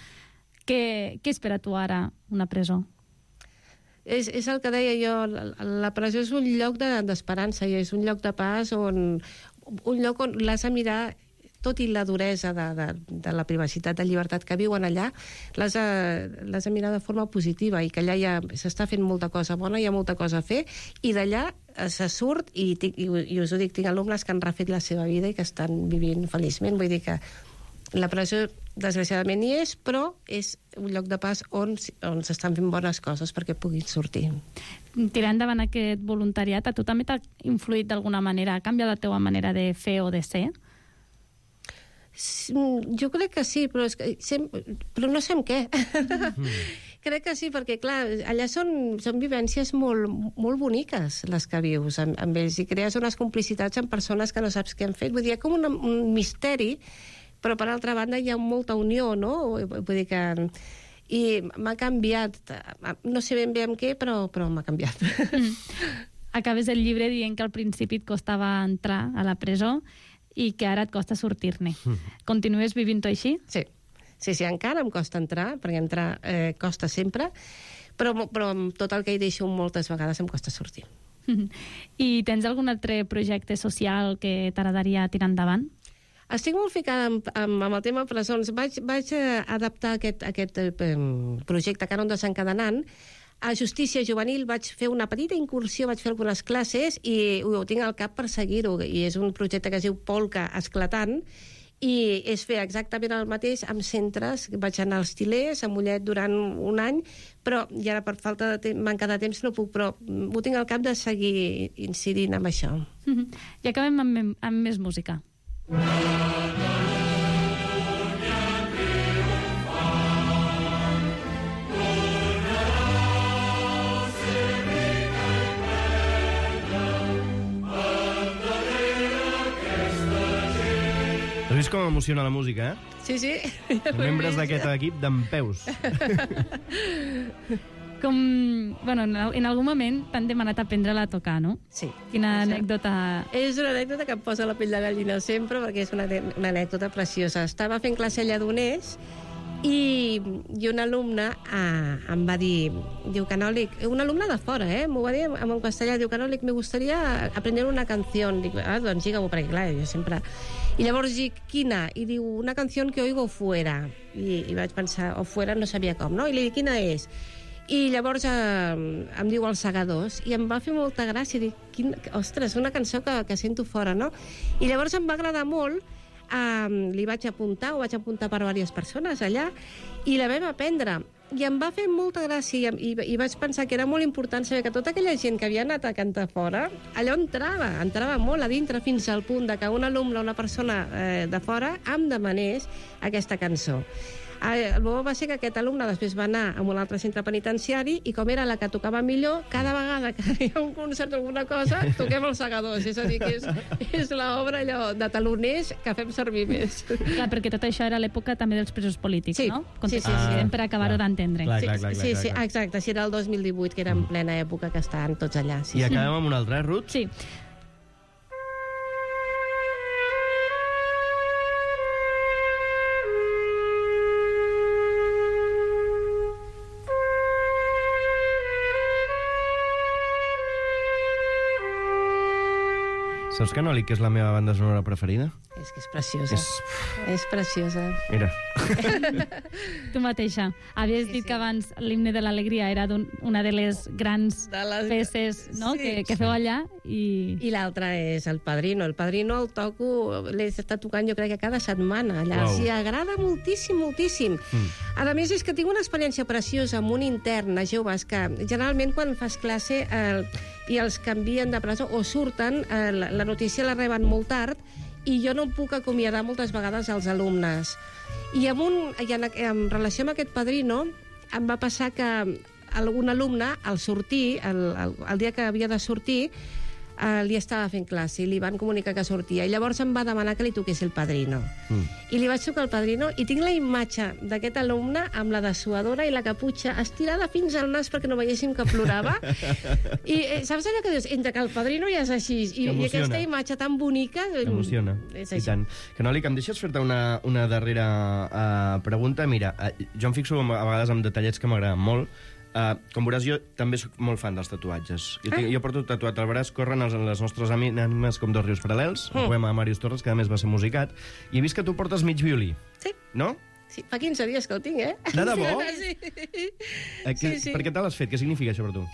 Què és per a tu ara una presó? És el que deia jo, la presó és un lloc d'esperança, i és un lloc de pas un lloc on l'has de mirar, tot i la duresa de la privacitat, de llibertat que viuen allà, l'has de mirar de forma positiva, i que allà ja s'està fent molta cosa bona, hi ha molta cosa a fer, i d'allà se surt, i us ho dic, tinc alumnes que han refet la seva vida i que estan vivint feliçment. Vull dir que la presó, desgraciadament, hi és, però és un lloc de pas on s'estan fent bones coses perquè puguin sortir. Tirar endavant aquest voluntariat, a tu també t'ha influït d'alguna manera? Ha canviat la teva manera de fer o de ser? Jo crec que sí, però no sé en què. Crec que sí, perquè, clar, allà són vivències molt boniques, les que vius amb ells, i crees unes complicitats amb persones que no saps què han fet. Vull dir, hi ha com un misteri, però per altra banda hi ha molta unió, no? Vull dir que... I m'ha canviat, no sé ben bé amb què, però m'ha canviat. Acabes el llibre dient que al principi et costava entrar a la presó i que ara et costa sortir-ne. Continues vivint-ho així? Sí, encara em costa entrar, perquè entrar costa sempre, però amb tot el que hi deixo moltes vegades em costa sortir. I tens algun altre projecte social que t'agradaria tirar endavant? Estic molt ficada amb el tema presons. Vaig adaptar aquest projecte Cànon desencadenant a Justícia Juvenil. Vaig fer una petita incursió, vaig fer algunes classes i ho tinc al cap per seguir-ho. I és un projecte que es diu Polka Esclatant, i és fer exactament el mateix amb centres. Vaig anar als Til·lers, a Mollet, durant un any, però i ara per manca de temps no puc, però ho tinc al cap de seguir incidint amb això. I acabem amb més música. Has vist com emociona la música, eh? Sí. Membres d'aquest equip dempeus. En algun moment t'han demanat aprendre-la a tocar, no? Sí. Quina anècdota... És una anècdota que em posa la pell de gallina sempre, perquè és una anècdota preciosa. Estava fent classe a Lledoners i un alumne em va dir, diu, Canòlic, un alumne de fora, m'ho va dir en castellà, diu, Canòlic, me gustaría aprender una canción. Dic, doncs digue-ho, perquè clar, jo sempre... I llavors dic, quina? I diu, una canción que oigo fuera. I vaig pensar, o fuera no sabia com, no? I li dic, quina és? I llavors em diu Els Segadors, i em va fer molta gràcia, dic, ostres, una cançó que sento fora, no? I llavors em va agradar molt, li vaig apuntar per diverses persones allà, i la vam aprendre. I em va fer molta gràcia, i vaig pensar que era molt important saber que tota aquella gent que havia anat a cantar fora, allò entrava molt a dintre, fins al punt de que un alumne, una persona de fora, em demanés aquesta cançó. El bo va ser que aquest alumne després va anar a un altre centre penitenciari i com era la que tocava millor, cada vegada que hi ha un concert o alguna cosa, toquem els segadors. És a dir, que és l'obra allò de taloners que fem servir més. Clar, perquè tot això era l'època també dels presos polítics, Sí. no? Sí. Per acabar-ho d'entendre. Sí, exacte, si era el 2018, que era en plena època que estaven tots allà. I acabem amb un altre, Ruth? Sí. Saps, Canòlic, que és la meva banda sonora preferida? És que és preciosa. És preciosa. Mira. Tu mateixa. Havies dit que abans l'himne de l'alegria era una de les grans peces, no? que feu allà. I l'altra és el Padrino. El Padrino el toco, l'he estat tocant jo crec que cada setmana. Allà els hi agrada moltíssim, moltíssim. A més, és que tinc una experiència preciosa amb un intern a joves que generalment quan fas classe i els canvien de presó o surten, la notícia la reben molt tard i jo no em puc acomiadar moltes vegades als alumnes. I en relació amb aquest Padrino em va passar que algun alumne, al sortir, el dia que havia de sortir, li estava fent classe i li van comunicar que sortia. I llavors em va demanar que li toqués el Padrino. I li vaig tocar el Padrino i tinc la imatge d'aquest alumne amb la dessuadora i la caputxa estirada fins al nas perquè no veiéssim que plorava. I saps allò que dius? Entre que el Padrino ja és així i aquesta imatge tan bonica... Emociona, i tant. Canòlic, em deixes fer-te una darrera pregunta? Mira, jo em fixo a vegades en detallets que m'agraden molt. Com veuràs, jo també soc molt fan dels tatuatges. Jo porto tatuat al braç Corren les nostres ànimes com dos rius paral·lels, un poema de Màrius Torres, que a més va ser musicat, i he vist que tu portes mig violí. Sí. No? Sí, fa 15 dies que el tinc, De debò? Sí. Per què te l'has fet? Què significa això per tu?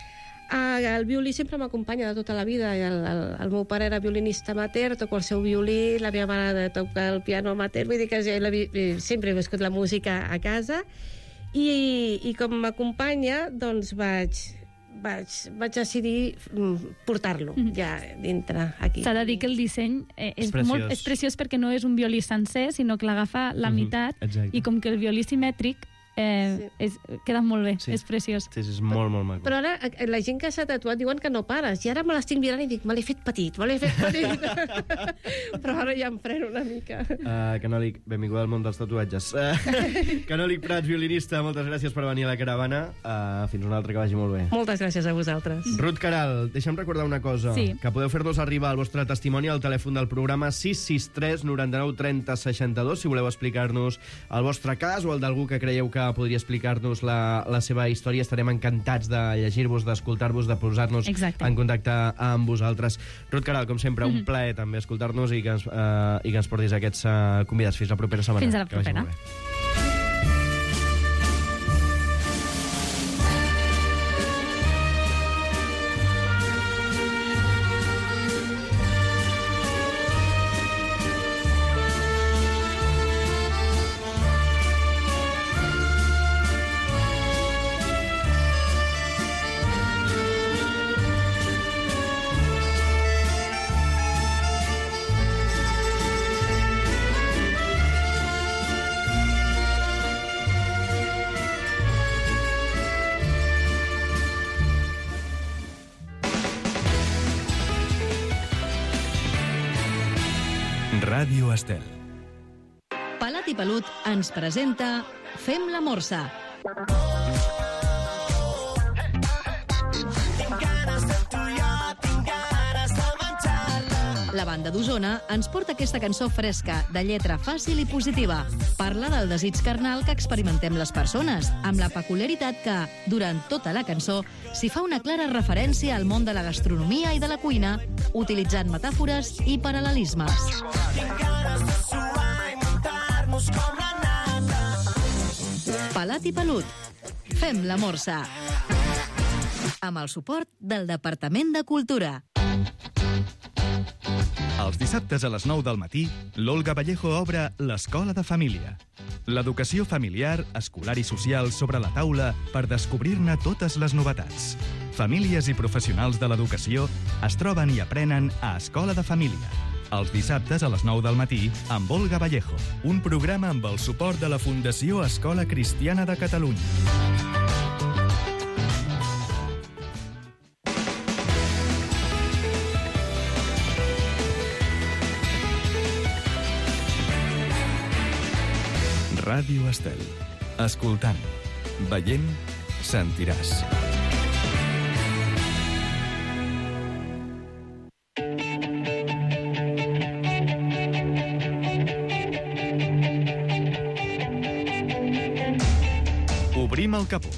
El violí sempre m'acompanya de tota la vida. El meu pare era violinista amateur, toco el seu violí, la meva mare toca el piano amateur, vull dir que sempre he viscut la música a casa. I com m'acompanya, doncs vaig decidir portar-lo ja dintre aquí. S'ha de dir que el disseny és preciós perquè no és un violí sencer, sinó que l'agafa la meitat, i com que el violí simètric queda molt bé, és preciós. Sí, és molt, molt maco. Però ara la gent que s'ha tatuat diuen que no pares, i ara me l'estic mirant i dic, me l'he fet petit. Però ara ja em freno una mica. Canòlic, benvinguda al món dels tatuatges. Canòlic Prats, violinista, moltes gràcies per venir a la caravana. Fins una altra, que vagi molt bé. Moltes gràcies a vosaltres. Ruth Caral, deixa'm recordar una cosa, que podeu fer-nos arribar el vostre testimoni al telèfon del programa 663 99 30 62, si voleu explicar-nos el vostre cas o el d'algú que creieu que podria explicar-nos la seva història. Estarem encantats de llegir-vos, d'escoltar-vos, de posar-nos en contacte amb vosaltres. Ruth Caral, com sempre, un plaer també escoltar-nos i que ens portis aquests convidats. Fins la propera setmana. Fins a la propera. Ràdio Estel. Palat i Pelut ens presenta Fem la Morsa. La banda d'Osona ens porta aquesta cançó fresca, de lletra fàcil i positiva. Parla del desig carnal que experimentem les persones, amb la peculiaritat que, durant tota la cançó, s'hi fa una clara referència al món de la gastronomia i de la cuina, utilitzant metàfores i paral·lelismes. Palat i Pelut. Fem la Morsa. Amb el suport del Departament de Cultura. Els dissabtes a les 9 del matí, l'Olga Vallejo obre l'Escola de Família. L'educació familiar, escolar i social sobre la taula per descobrir-ne totes les novetats. Famílies i professionals de l'educació es troben i aprenen a Escola de Família. Els dissabtes a les 9 del matí amb Olga Vallejo, un programa amb el suport de la Fundació Escola Cristiana de Catalunya. Ràdio Estel. Escoltant, veient, sentiràs. Obrim el capó.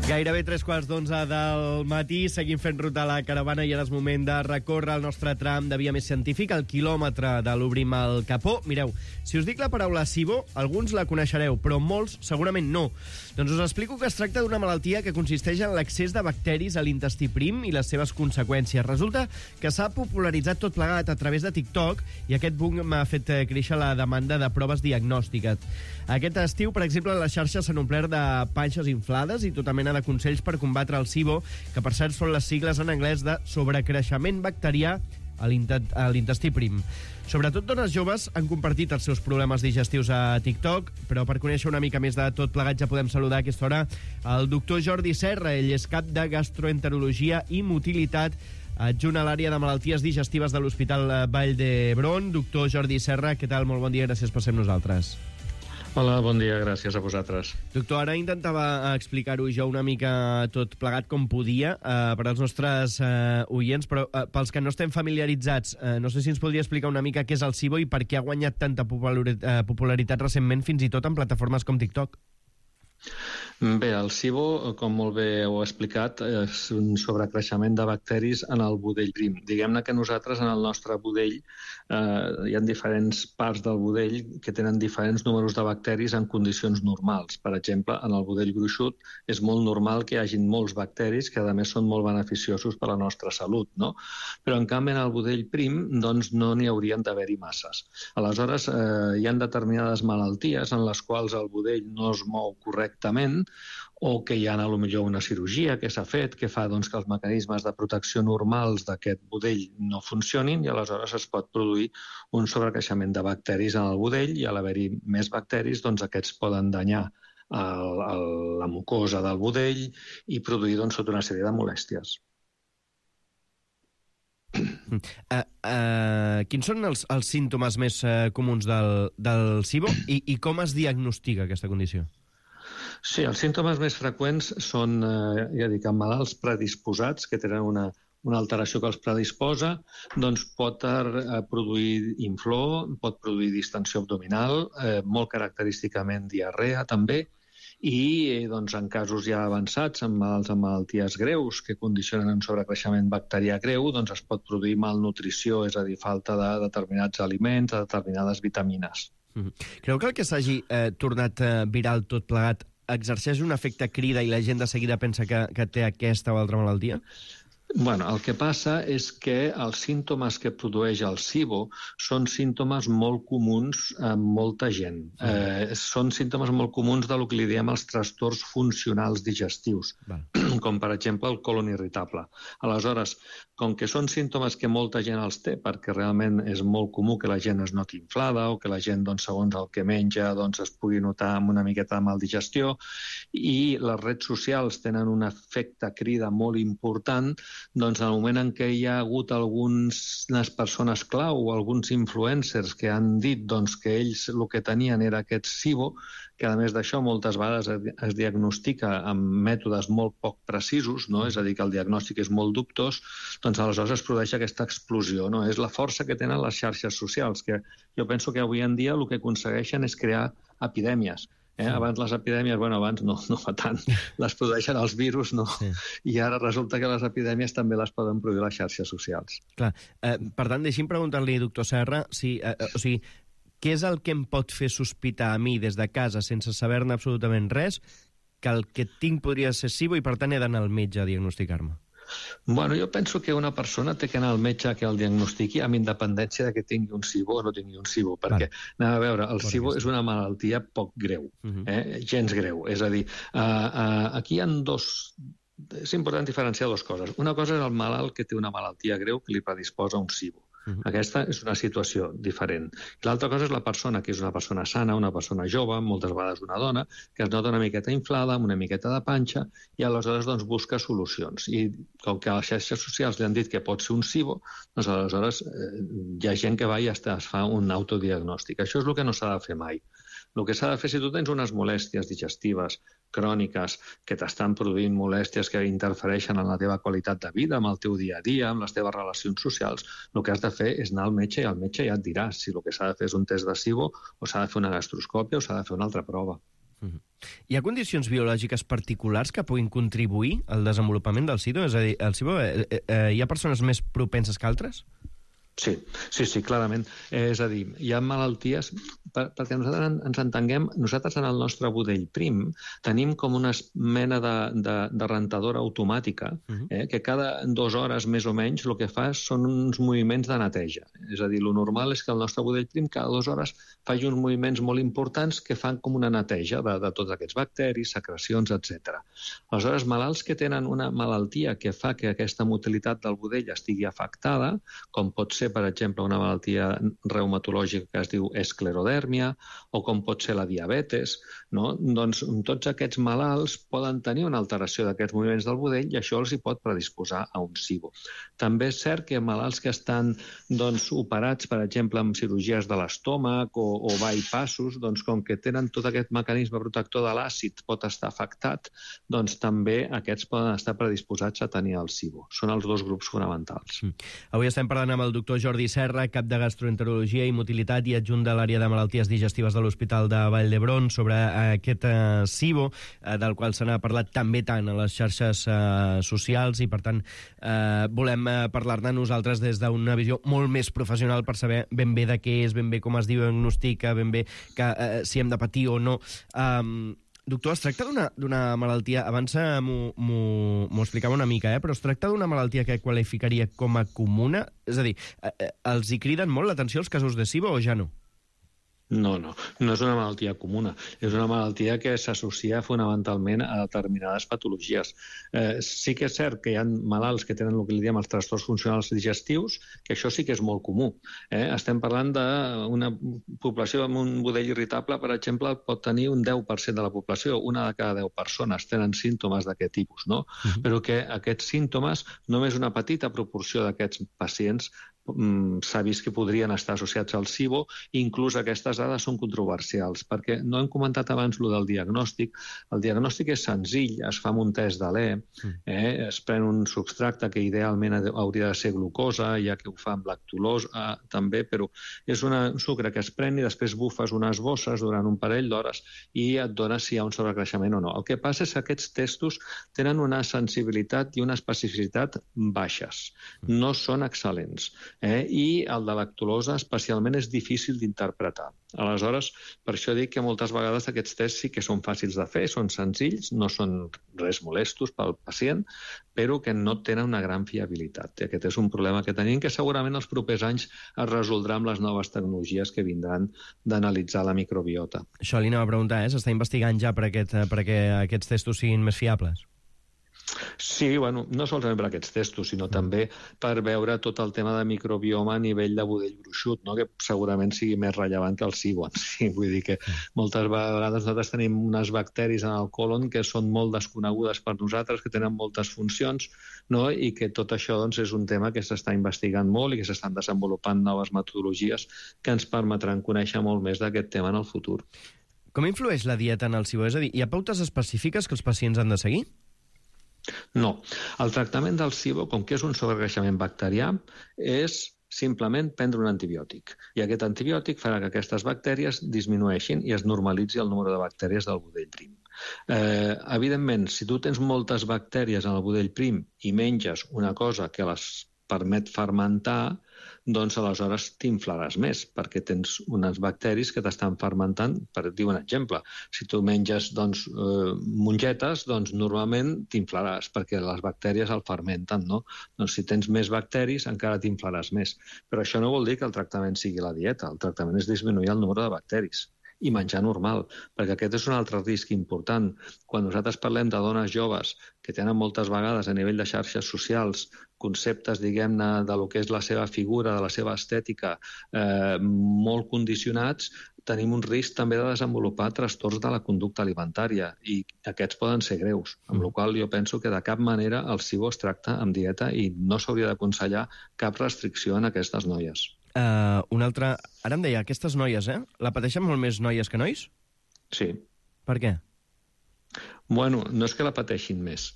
Gairebé 3:15 del matí, seguim fent ruta a la caravana i ara és moment de recórrer el nostre tram de via més científica, el quilòmetre de l'Obrim el capó. Mireu, si us dic la paraula SIBO, alguns la coneixereu, però molts segurament no. Doncs us explico que es tracta d'una malaltia que consisteix en l'accés de bacteris a l'intestí prim i les seves conseqüències. Resulta que s'ha popularitzat tot plegat a través de TikTok i aquest boom m'ha fet créixer la demanda de proves diagnòstiques. Aquest estiu, per exemple, les xarxes s'han omplert de panxes inflades i tota mena de consells per combatre el SIBO, que per cert són les sigles en anglès de sobrecreixement bacterià a l'intestí prim. Sobretot dones joves han compartit els seus problemes digestius a TikTok, però per conèixer una mica més de tot plegat ja podem saludar a aquesta hora el doctor Jordi Serra. Ell és cap de gastroenterologia i motilitat, adjunt a l'àrea de malalties digestives de l'Hospital Vall d'Hebron. Doctor Jordi Serra, què tal? Molt bon dia, gràcies per ser amb nosaltres. Hola, bon dia, gràcies a vosaltres. Doctor, ara intentava explicar-ho jo una mica tot plegat com podia per als nostres oients, però pels que no estem familiaritzats, no sé si ens podria explicar una mica què és el SIBO i per què ha guanyat tanta popularitat recentment, fins i tot en plataformes com TikTok. Bé, el SIBO, com molt bé heu explicat, és un sobrecreixement de bacteris en el budell prim. Diguem-ne que nosaltres, en el nostre budell, hi ha diferents parts del budell que tenen diferents números de bacteris en condicions normals. Per exemple, en el budell gruixut és molt normal que hi hagin molts bacteris que, a més, són molt beneficiosos per a la nostra salut, no? Però, en canvi, en el budell prim, doncs, no n'hi haurien d'haver-hi masses. Aleshores, hi ha determinades malalties en les quals el budell no es mou correctament o que hi ha, potser una cirurgia que s'ha fet que fa doncs, que els mecanismes de protecció normals d'aquest budell no funcionin i aleshores es pot produir un sobrecreixement de bacteris en el budell i al haver-hi més bacteris doncs, aquests poden danyar la mucosa del budell i produir doncs, tota una sèrie de molèsties. Quins són els símptomes més comuns del SIBO i com es diagnostica aquesta condició? Sí, els símptomes més freqüents són, ja dic, en malalts predisposats, que tenen una alteració que els predisposa, doncs pot produir inflor, pot produir distensió abdominal, molt característicament diarrea també, i doncs, en casos ja avançats, en malalts amb malalties greus que condicionen un sobrecreixement bacterià greu, doncs es pot produir malnutrició, és a dir, falta de determinats aliments, de determinades vitamines. Creu que el que s'hagi tornat viral tot plegat exerceix un efecte crida i la gent de seguida pensa que té aquesta o altra malaltia? Bueno, el que passa és que els símptomes que produeix el SIBO són símptomes molt comuns en molta gent. Són símptomes molt comuns del que li diem els trastorns funcionals digestius, com per exemple el colon irritable. Aleshores, com que són símptomes que molta gent els té, perquè realment és molt comú que la gent es noti inflada o que la gent, doncs, segons el que menja, doncs, es pugui notar amb una miqueta de maldigestió, i les redes socials tenen un efecte crida molt important, doncs en el moment en què hi ha hagut algunes persones clau o alguns influencers que han dit doncs, que ells el que tenien era aquest SIBO, que a més d'això moltes vegades es diagnostica amb mètodes molt poc precisos, no? És a dir, que el diagnòstic és molt dubtós, doncs aleshores es produeix aquesta explosió. No? És la força que tenen les xarxes socials, que jo penso que avui en dia el que aconsegueixen és crear epidèmies. Abans les epidèmies, abans no fa tant, les produeixen els virus, no? Sí. I ara resulta que les epidèmies també les poden produir les xarxes socials. Clar. Per tant, deixi'm preguntar-li, doctor Serra, què és el que em pot fer sospitar a mi des de casa, sense saber-ne absolutament res, que el que tinc podria ser SIBO i per tant he d'anar al metge a diagnosticar-me? Bueno, jo penso que una persona té que anar al metge que el diagnostiqui amb independència de que tingui un SIBO o no tingui un SIBO, perquè, anem a veure, el SIBO és una malaltia poc greu, gens greu. És a dir, aquí hi ha dos és important diferenciar dues coses. Una cosa és el malalt que té una malaltia greu que li predisposa un SIBO. Aquesta és una situació diferent. L'altra cosa és la persona, que és una persona sana, una persona jove, moltes vegades una dona, que es nota una miqueta inflada, amb una miqueta de panxa, i aleshores doncs, busca solucions. I com que a les xarxes socials li han dit que pot ser un SIBO, doncs aleshores hi ha gent que va i es fa un autodiagnòstic. Això és el que no s'ha de fer mai. El que s'ha de fer, si tu tens unes molèsties digestives cròniques que t'estan produint molèsties que interfereixen en la teva qualitat de vida, amb el teu dia a dia, amb les teves relacions socials, el que has de fer és anar al metge i el metge ja et dirà si el que s'ha de fer és un test de SIBO o s'ha de fer una gastroscòpia o s'ha de fer una altra prova. Hi ha condicions biològiques particulars que puguin contribuir al desenvolupament del SIBO? És a dir, el SIBO, hi ha persones més propenses que altres? Sí, clarament. És a dir, hi ha malalties, perquè nosaltres ens entenguem, nosaltres en el nostre budell prim tenim com una mena de rentadora automàtica que cada 2 hores més o menys el que fa són uns moviments de neteja. És a dir, el normal és que el nostre budell prim cada 2 hores faci uns moviments molt importants que fan com una neteja de tots aquests bacteris, secrecions, etc. Aleshores, malalts que tenen una malaltia que fa que aquesta motilitat del budell estigui afectada, com pot ser per exemple, una malaltia reumatològica que es diu esclerodèrmia o com pot ser la diabetes, no? Doncs tots aquests malalts poden tenir una alteració d'aquests moviments del budell i això els hi pot predisposar a un SIBO. També és cert que malalts que estan operats, per exemple, amb cirurgies de l'estómac o bypassos, doncs com que tenen tot aquest mecanisme protector de l'àcid pot estar afectat, doncs també aquests poden estar predisposats a tenir el SIBO. Són els 2 grups fonamentals. Avui estem parlant amb el doctor Jordi Serra, cap de gastroenterologia i motilitat i adjunt de l'àrea de malalties digestives de l'Hospital de Vall d'Hebron, sobre aquest SIBO, del qual se n'ha parlat també tant a les xarxes socials, i per tant volem parlar-ne nosaltres des d'una visió molt més professional per saber ben bé de què és, ben bé com es diagnostica, ben bé si hem de patir o no. Doctor, es tracta d'una malaltia, abans m'ho explicava una mica, però es tracta d'una malaltia que qualificaria com a comuna? És a dir, els hi criden molt l'atenció els casos de SIBO o ja no? No és una malaltia comuna. És una malaltia que s'associa fonamentalment a determinades patologies. Sí que és cert que hi ha malalts que tenen el que li diem els trastorns funcionals digestius, que això sí que és molt comú. Estem parlant d'una població amb un budell irritable, per exemple, pot tenir un 10% de la població, una de cada 10 persones tenen símptomes d'aquest tipus, no? Però que aquests símptomes, només una petita proporció d'aquests pacients s'ha vist que podrien estar associats al SIBO, i inclús aquestes dades són controversials, perquè no hem comentat abans el del diagnòstic. El diagnòstic és senzill, es fa amb un test d'Alè, es pren un substracte que idealment hauria de ser glucosa, ja que ho fa amb lactulosa també, però és un sucre que es pren i després bufes unes bosses durant un parell d'hores i et dona si hi ha un sobrecreixement o no. El que passa és que aquests testos tenen una sensibilitat i una especificitat baixes, no són excel·lents. I el de lactulosa especialment és difícil d'interpretar. Aleshores, per això dic que moltes vegades aquests tests sí que són fàcils de fer, són senzills, no són res molestos pel pacient, però que no tenen una gran fiabilitat. I aquest és un problema que tenim, que segurament els propers anys es resoldrà amb les noves tecnologies que vindran d'analitzar la microbiota. Això li anava a preguntar, s'està investigant ja perquè aquests testos siguin més fiables? Sí, no solament per aquests testos, sinó també per veure tot el tema de microbioma a nivell de budell gruixut, que segurament sigui més rellevant que el SIBO. Vull dir que moltes vegades nosaltres tenim unes bacteris en el còlon que són molt desconegudes per nosaltres, que tenen moltes funcions, i que tot això és un tema que s'està investigant molt i que s'estan desenvolupant noves metodologies que ens permetran conèixer molt més d'aquest tema en el futur. Com influeix la dieta en el SIBO? És a dir, hi ha pautes específiques que els pacients han de seguir? No. El tractament del SIBO, com que és un sobrecreixement bacterià, és simplement prendre un antibiòtic. I aquest antibiòtic farà que aquestes bactèries disminueixin i es normalitzi el número de bactèries del budell prim. Evidentment, si tu tens moltes bactèries en el budell prim i menges una cosa que les permet fermentar, doncs aleshores t'inflaràs més, perquè tens unes bacteris que t'estan fermentant. Per dir un exemple, si tu menges mongetes, doncs normalment t'inflaràs, perquè les bactèries el fermenten, no? Doncs si tens més bacteris, encara t'inflaràs més. Però això no vol dir que el tractament sigui la dieta. El tractament és disminuir el número de bacteris. i menjar normal, perquè aquest és un altre risc important. Quan nosaltres parlem de dones joves que tenen moltes vegades a nivell de xarxes socials conceptes, diguem-ne, de lo que és la seva figura, de la seva estètica, molt condicionats, tenim un risc també de desenvolupar trastorns de la conducta alimentària i aquests poden ser greus, amb la qual cosa jo penso que de cap manera el SIBO es tracta amb dieta i no s'hauria d'aconsellar cap restricció en aquestes noies. Un altre... Ara em deia, aquestes noies, la pateixen molt més noies que nois? Sí. Per què? Bueno, no és que la pateixin més.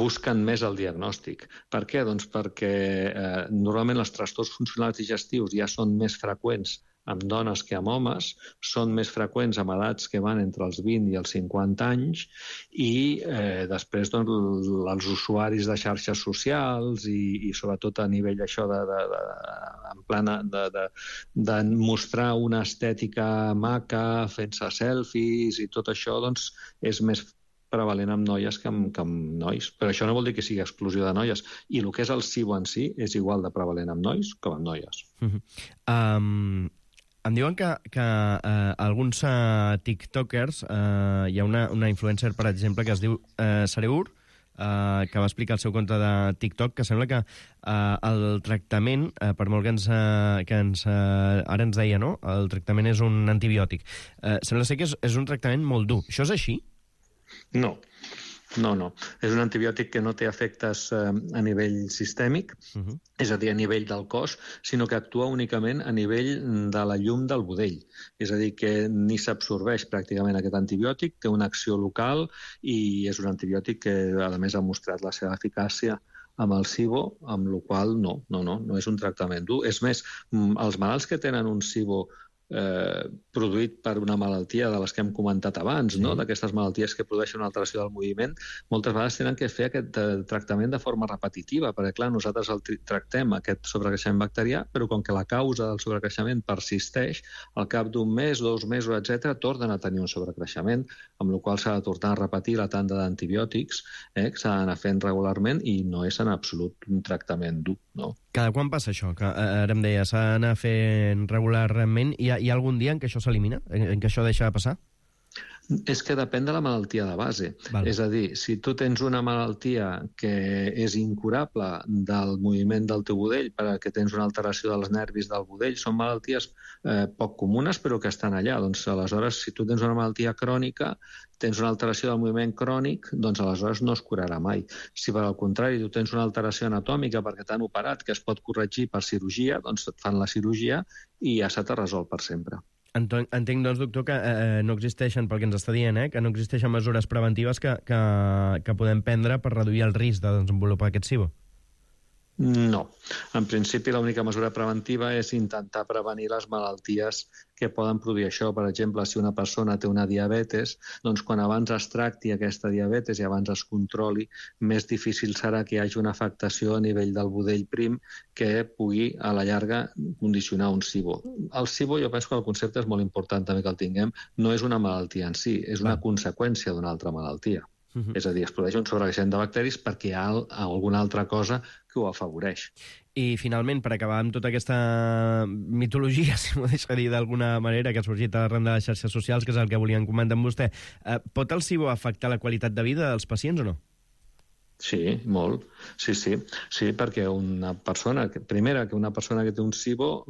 Busquen més el diagnòstic. Per què? Doncs perquè normalment els trastorns funcionals digestius ja són més freqüents amb dones que amb homes, són més freqüents amb edats que van entre els 20 i els 50 anys i després doncs, els usuaris de xarxes socials i sobretot a nivell això de mostrar una estètica maca, fent-se selfies i tot això doncs, és més prevalent amb noies que amb nois. Però això no vol dir que sigui exclusió de noies. I el que és el SIBO en si és igual de prevalent amb nois com amb noies. Em diuen que alguns tiktokers, hi ha una influencer, per exemple, que es diu Sareur, que va explicar el seu compte de TikTok, que sembla que el tractament, per molt que ara ens deia, no? El tractament és un antibiòtic. Sembla ser que és un tractament molt dur. Això és així? No. És un antibiòtic que no té efectes a nivell sistèmic, és a dir, a nivell del cos, sinó que actua únicament a nivell de la llum del budell. És a dir, que ni s'absorbeix pràcticament aquest antibiòtic, té una acció local i és un antibiòtic que, a més, ha mostrat la seva eficàcia amb el SIBO, amb la qual no és un tractament dur. És més, els malalts que tenen un SIBO produït per una malaltia de les que hem comentat abans, no? D'aquestes malalties que produeixen una alteració del moviment, moltes vegades tenen que fer aquest tractament de forma repetitiva, perquè clar, nosaltres el tractem aquest sobrecreixement bacterià, però com que la causa del sobrecreixement persisteix, al cap d'un mes, 2 mesos, etc., tornen a tenir un sobrecreixement, amb la qual s'ha de tornar a repetir la tanda d'antibiòtics, que s'ha d'anar fent regularment i no és en absolut un tractament dur, no? Cada quan passa això? Que ara em deia, s'ha d'anar fent regularment. Hi ha algun dia en què això s'elimina? En què això deixa de passar? És que depèn de la malaltia de base. Val. És a dir, si tu tens una malaltia que és incurable del moviment del teu budell perquè tens una alteració dels nervis del budell, són malalties poc comunes però que estan allà. Doncs aleshores, si tu tens una malaltia crònica, tens una alteració del moviment crònic, doncs aleshores no es curarà mai. Si per al contrari tu tens una alteració anatòmica perquè t'han operat que es pot corregir per cirurgia, doncs et fan la cirurgia i ja se t'ha resolt per sempre. Entenc, doncs, doctor, que no existeixen, pel que ens està dient, que no existeixen mesures preventives que podem prendre per reduir el risc de desenvolupar aquest SIBO. No. En principi, l'única mesura preventiva és intentar prevenir les malalties que poden produir això. Per exemple, si una persona té una diabetes, doncs quan abans es tracti aquesta diabetes i abans es controli, més difícil serà que hi hagi una afectació a nivell del budell prim que pugui, a la llarga, condicionar un SIBO. El SIBO, jo penso que el concepte és molt important també que el tinguem, no és una malaltia en si, és una conseqüència d'una altra malaltia. És a dir, es produeix un sobrecreixement de bacteris perquè hi ha alguna altra cosa que ho afavoreix. I, finalment, per acabar amb tota aquesta mitologia, si m'ho deixa dir d'alguna manera, que ha sorgit arran de les xarxes socials, que és el que volíem comentar amb vostè, pot el SIBO afectar la qualitat de vida dels pacients o no? Sí, molt. Sí, perquè una persona que té un SIBO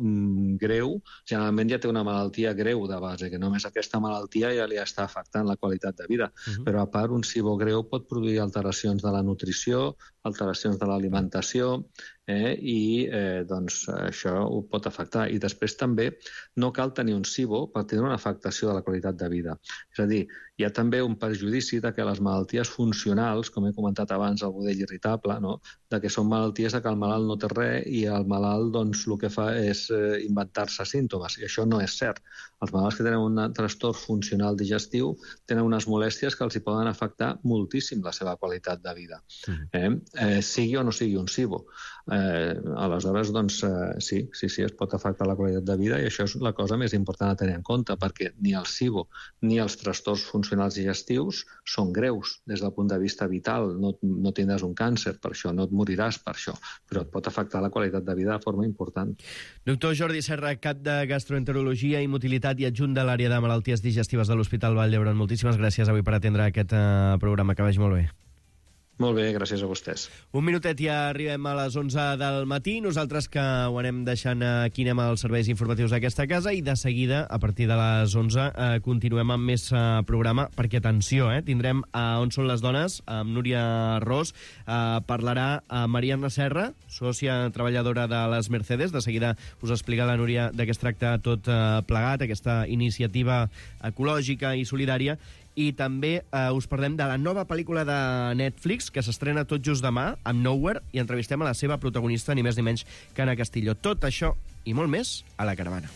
greu, generalment ja té una malaltia greu de base, que només aquesta malaltia ja li està afectant la qualitat de vida. Però a part, un SIBO greu pot produir alteracions de la nutrició, alteracions de l'alimentació, i doncs això ho pot afectar. I després també no cal tenir un SIBO per tenir una afectació de la qualitat de vida. És a dir, hi ha també un perjudici de que les malalties funcionals, com he comentat abans, el budell irritable, no? De que són malalties que el malalt no té res i el malalt doncs, el que fa és inventar-se símptomes, i això no és cert. Els malalts que tenen un trastorn funcional digestiu tenen unes molèsties que els hi poden afectar moltíssim la seva qualitat de vida, sigui o no sigui un SIBO. Aleshores, doncs, sí, es pot afectar la qualitat de vida i això és la cosa més important a tenir en compte, perquè ni el SIBO ni els trastorns funcionals digestius són greus des del punt de vista vital. No tindràs un càncer per això, no et moriràs per això, però et pot afectar la qualitat de vida de forma important. Doctor Jordi Serra, cap de gastroenterologia i motilitat i adjunt de l'àrea de malalties digestives de l'Hospital Vall d'Hebron. Moltíssimes gràcies avui per atendre aquest programa. Que vagi molt bé. Molt bé, gràcies a vostès. Un minutet i arribem a les 11 del matí. Nosaltres que ho anem deixant aquí, anem als serveis informatius d'aquesta casa i de seguida, a partir de les 11, continuem amb més programa, perquè, atenció, tindrem On són les dones, amb Núria Ros. Parlarà Mariana Serra, sòcia treballadora de les Mercedes. De seguida us explica la Núria de què es tracta tot plegat, aquesta iniciativa ecològica i solidària. I també us parlem de la nova pel·lícula de Netflix, que s'estrena tot just demà, amb Nowhere, i entrevistem a la seva protagonista, ni més ni menys que Anna Castillo. Tot això i molt més a La Caravana.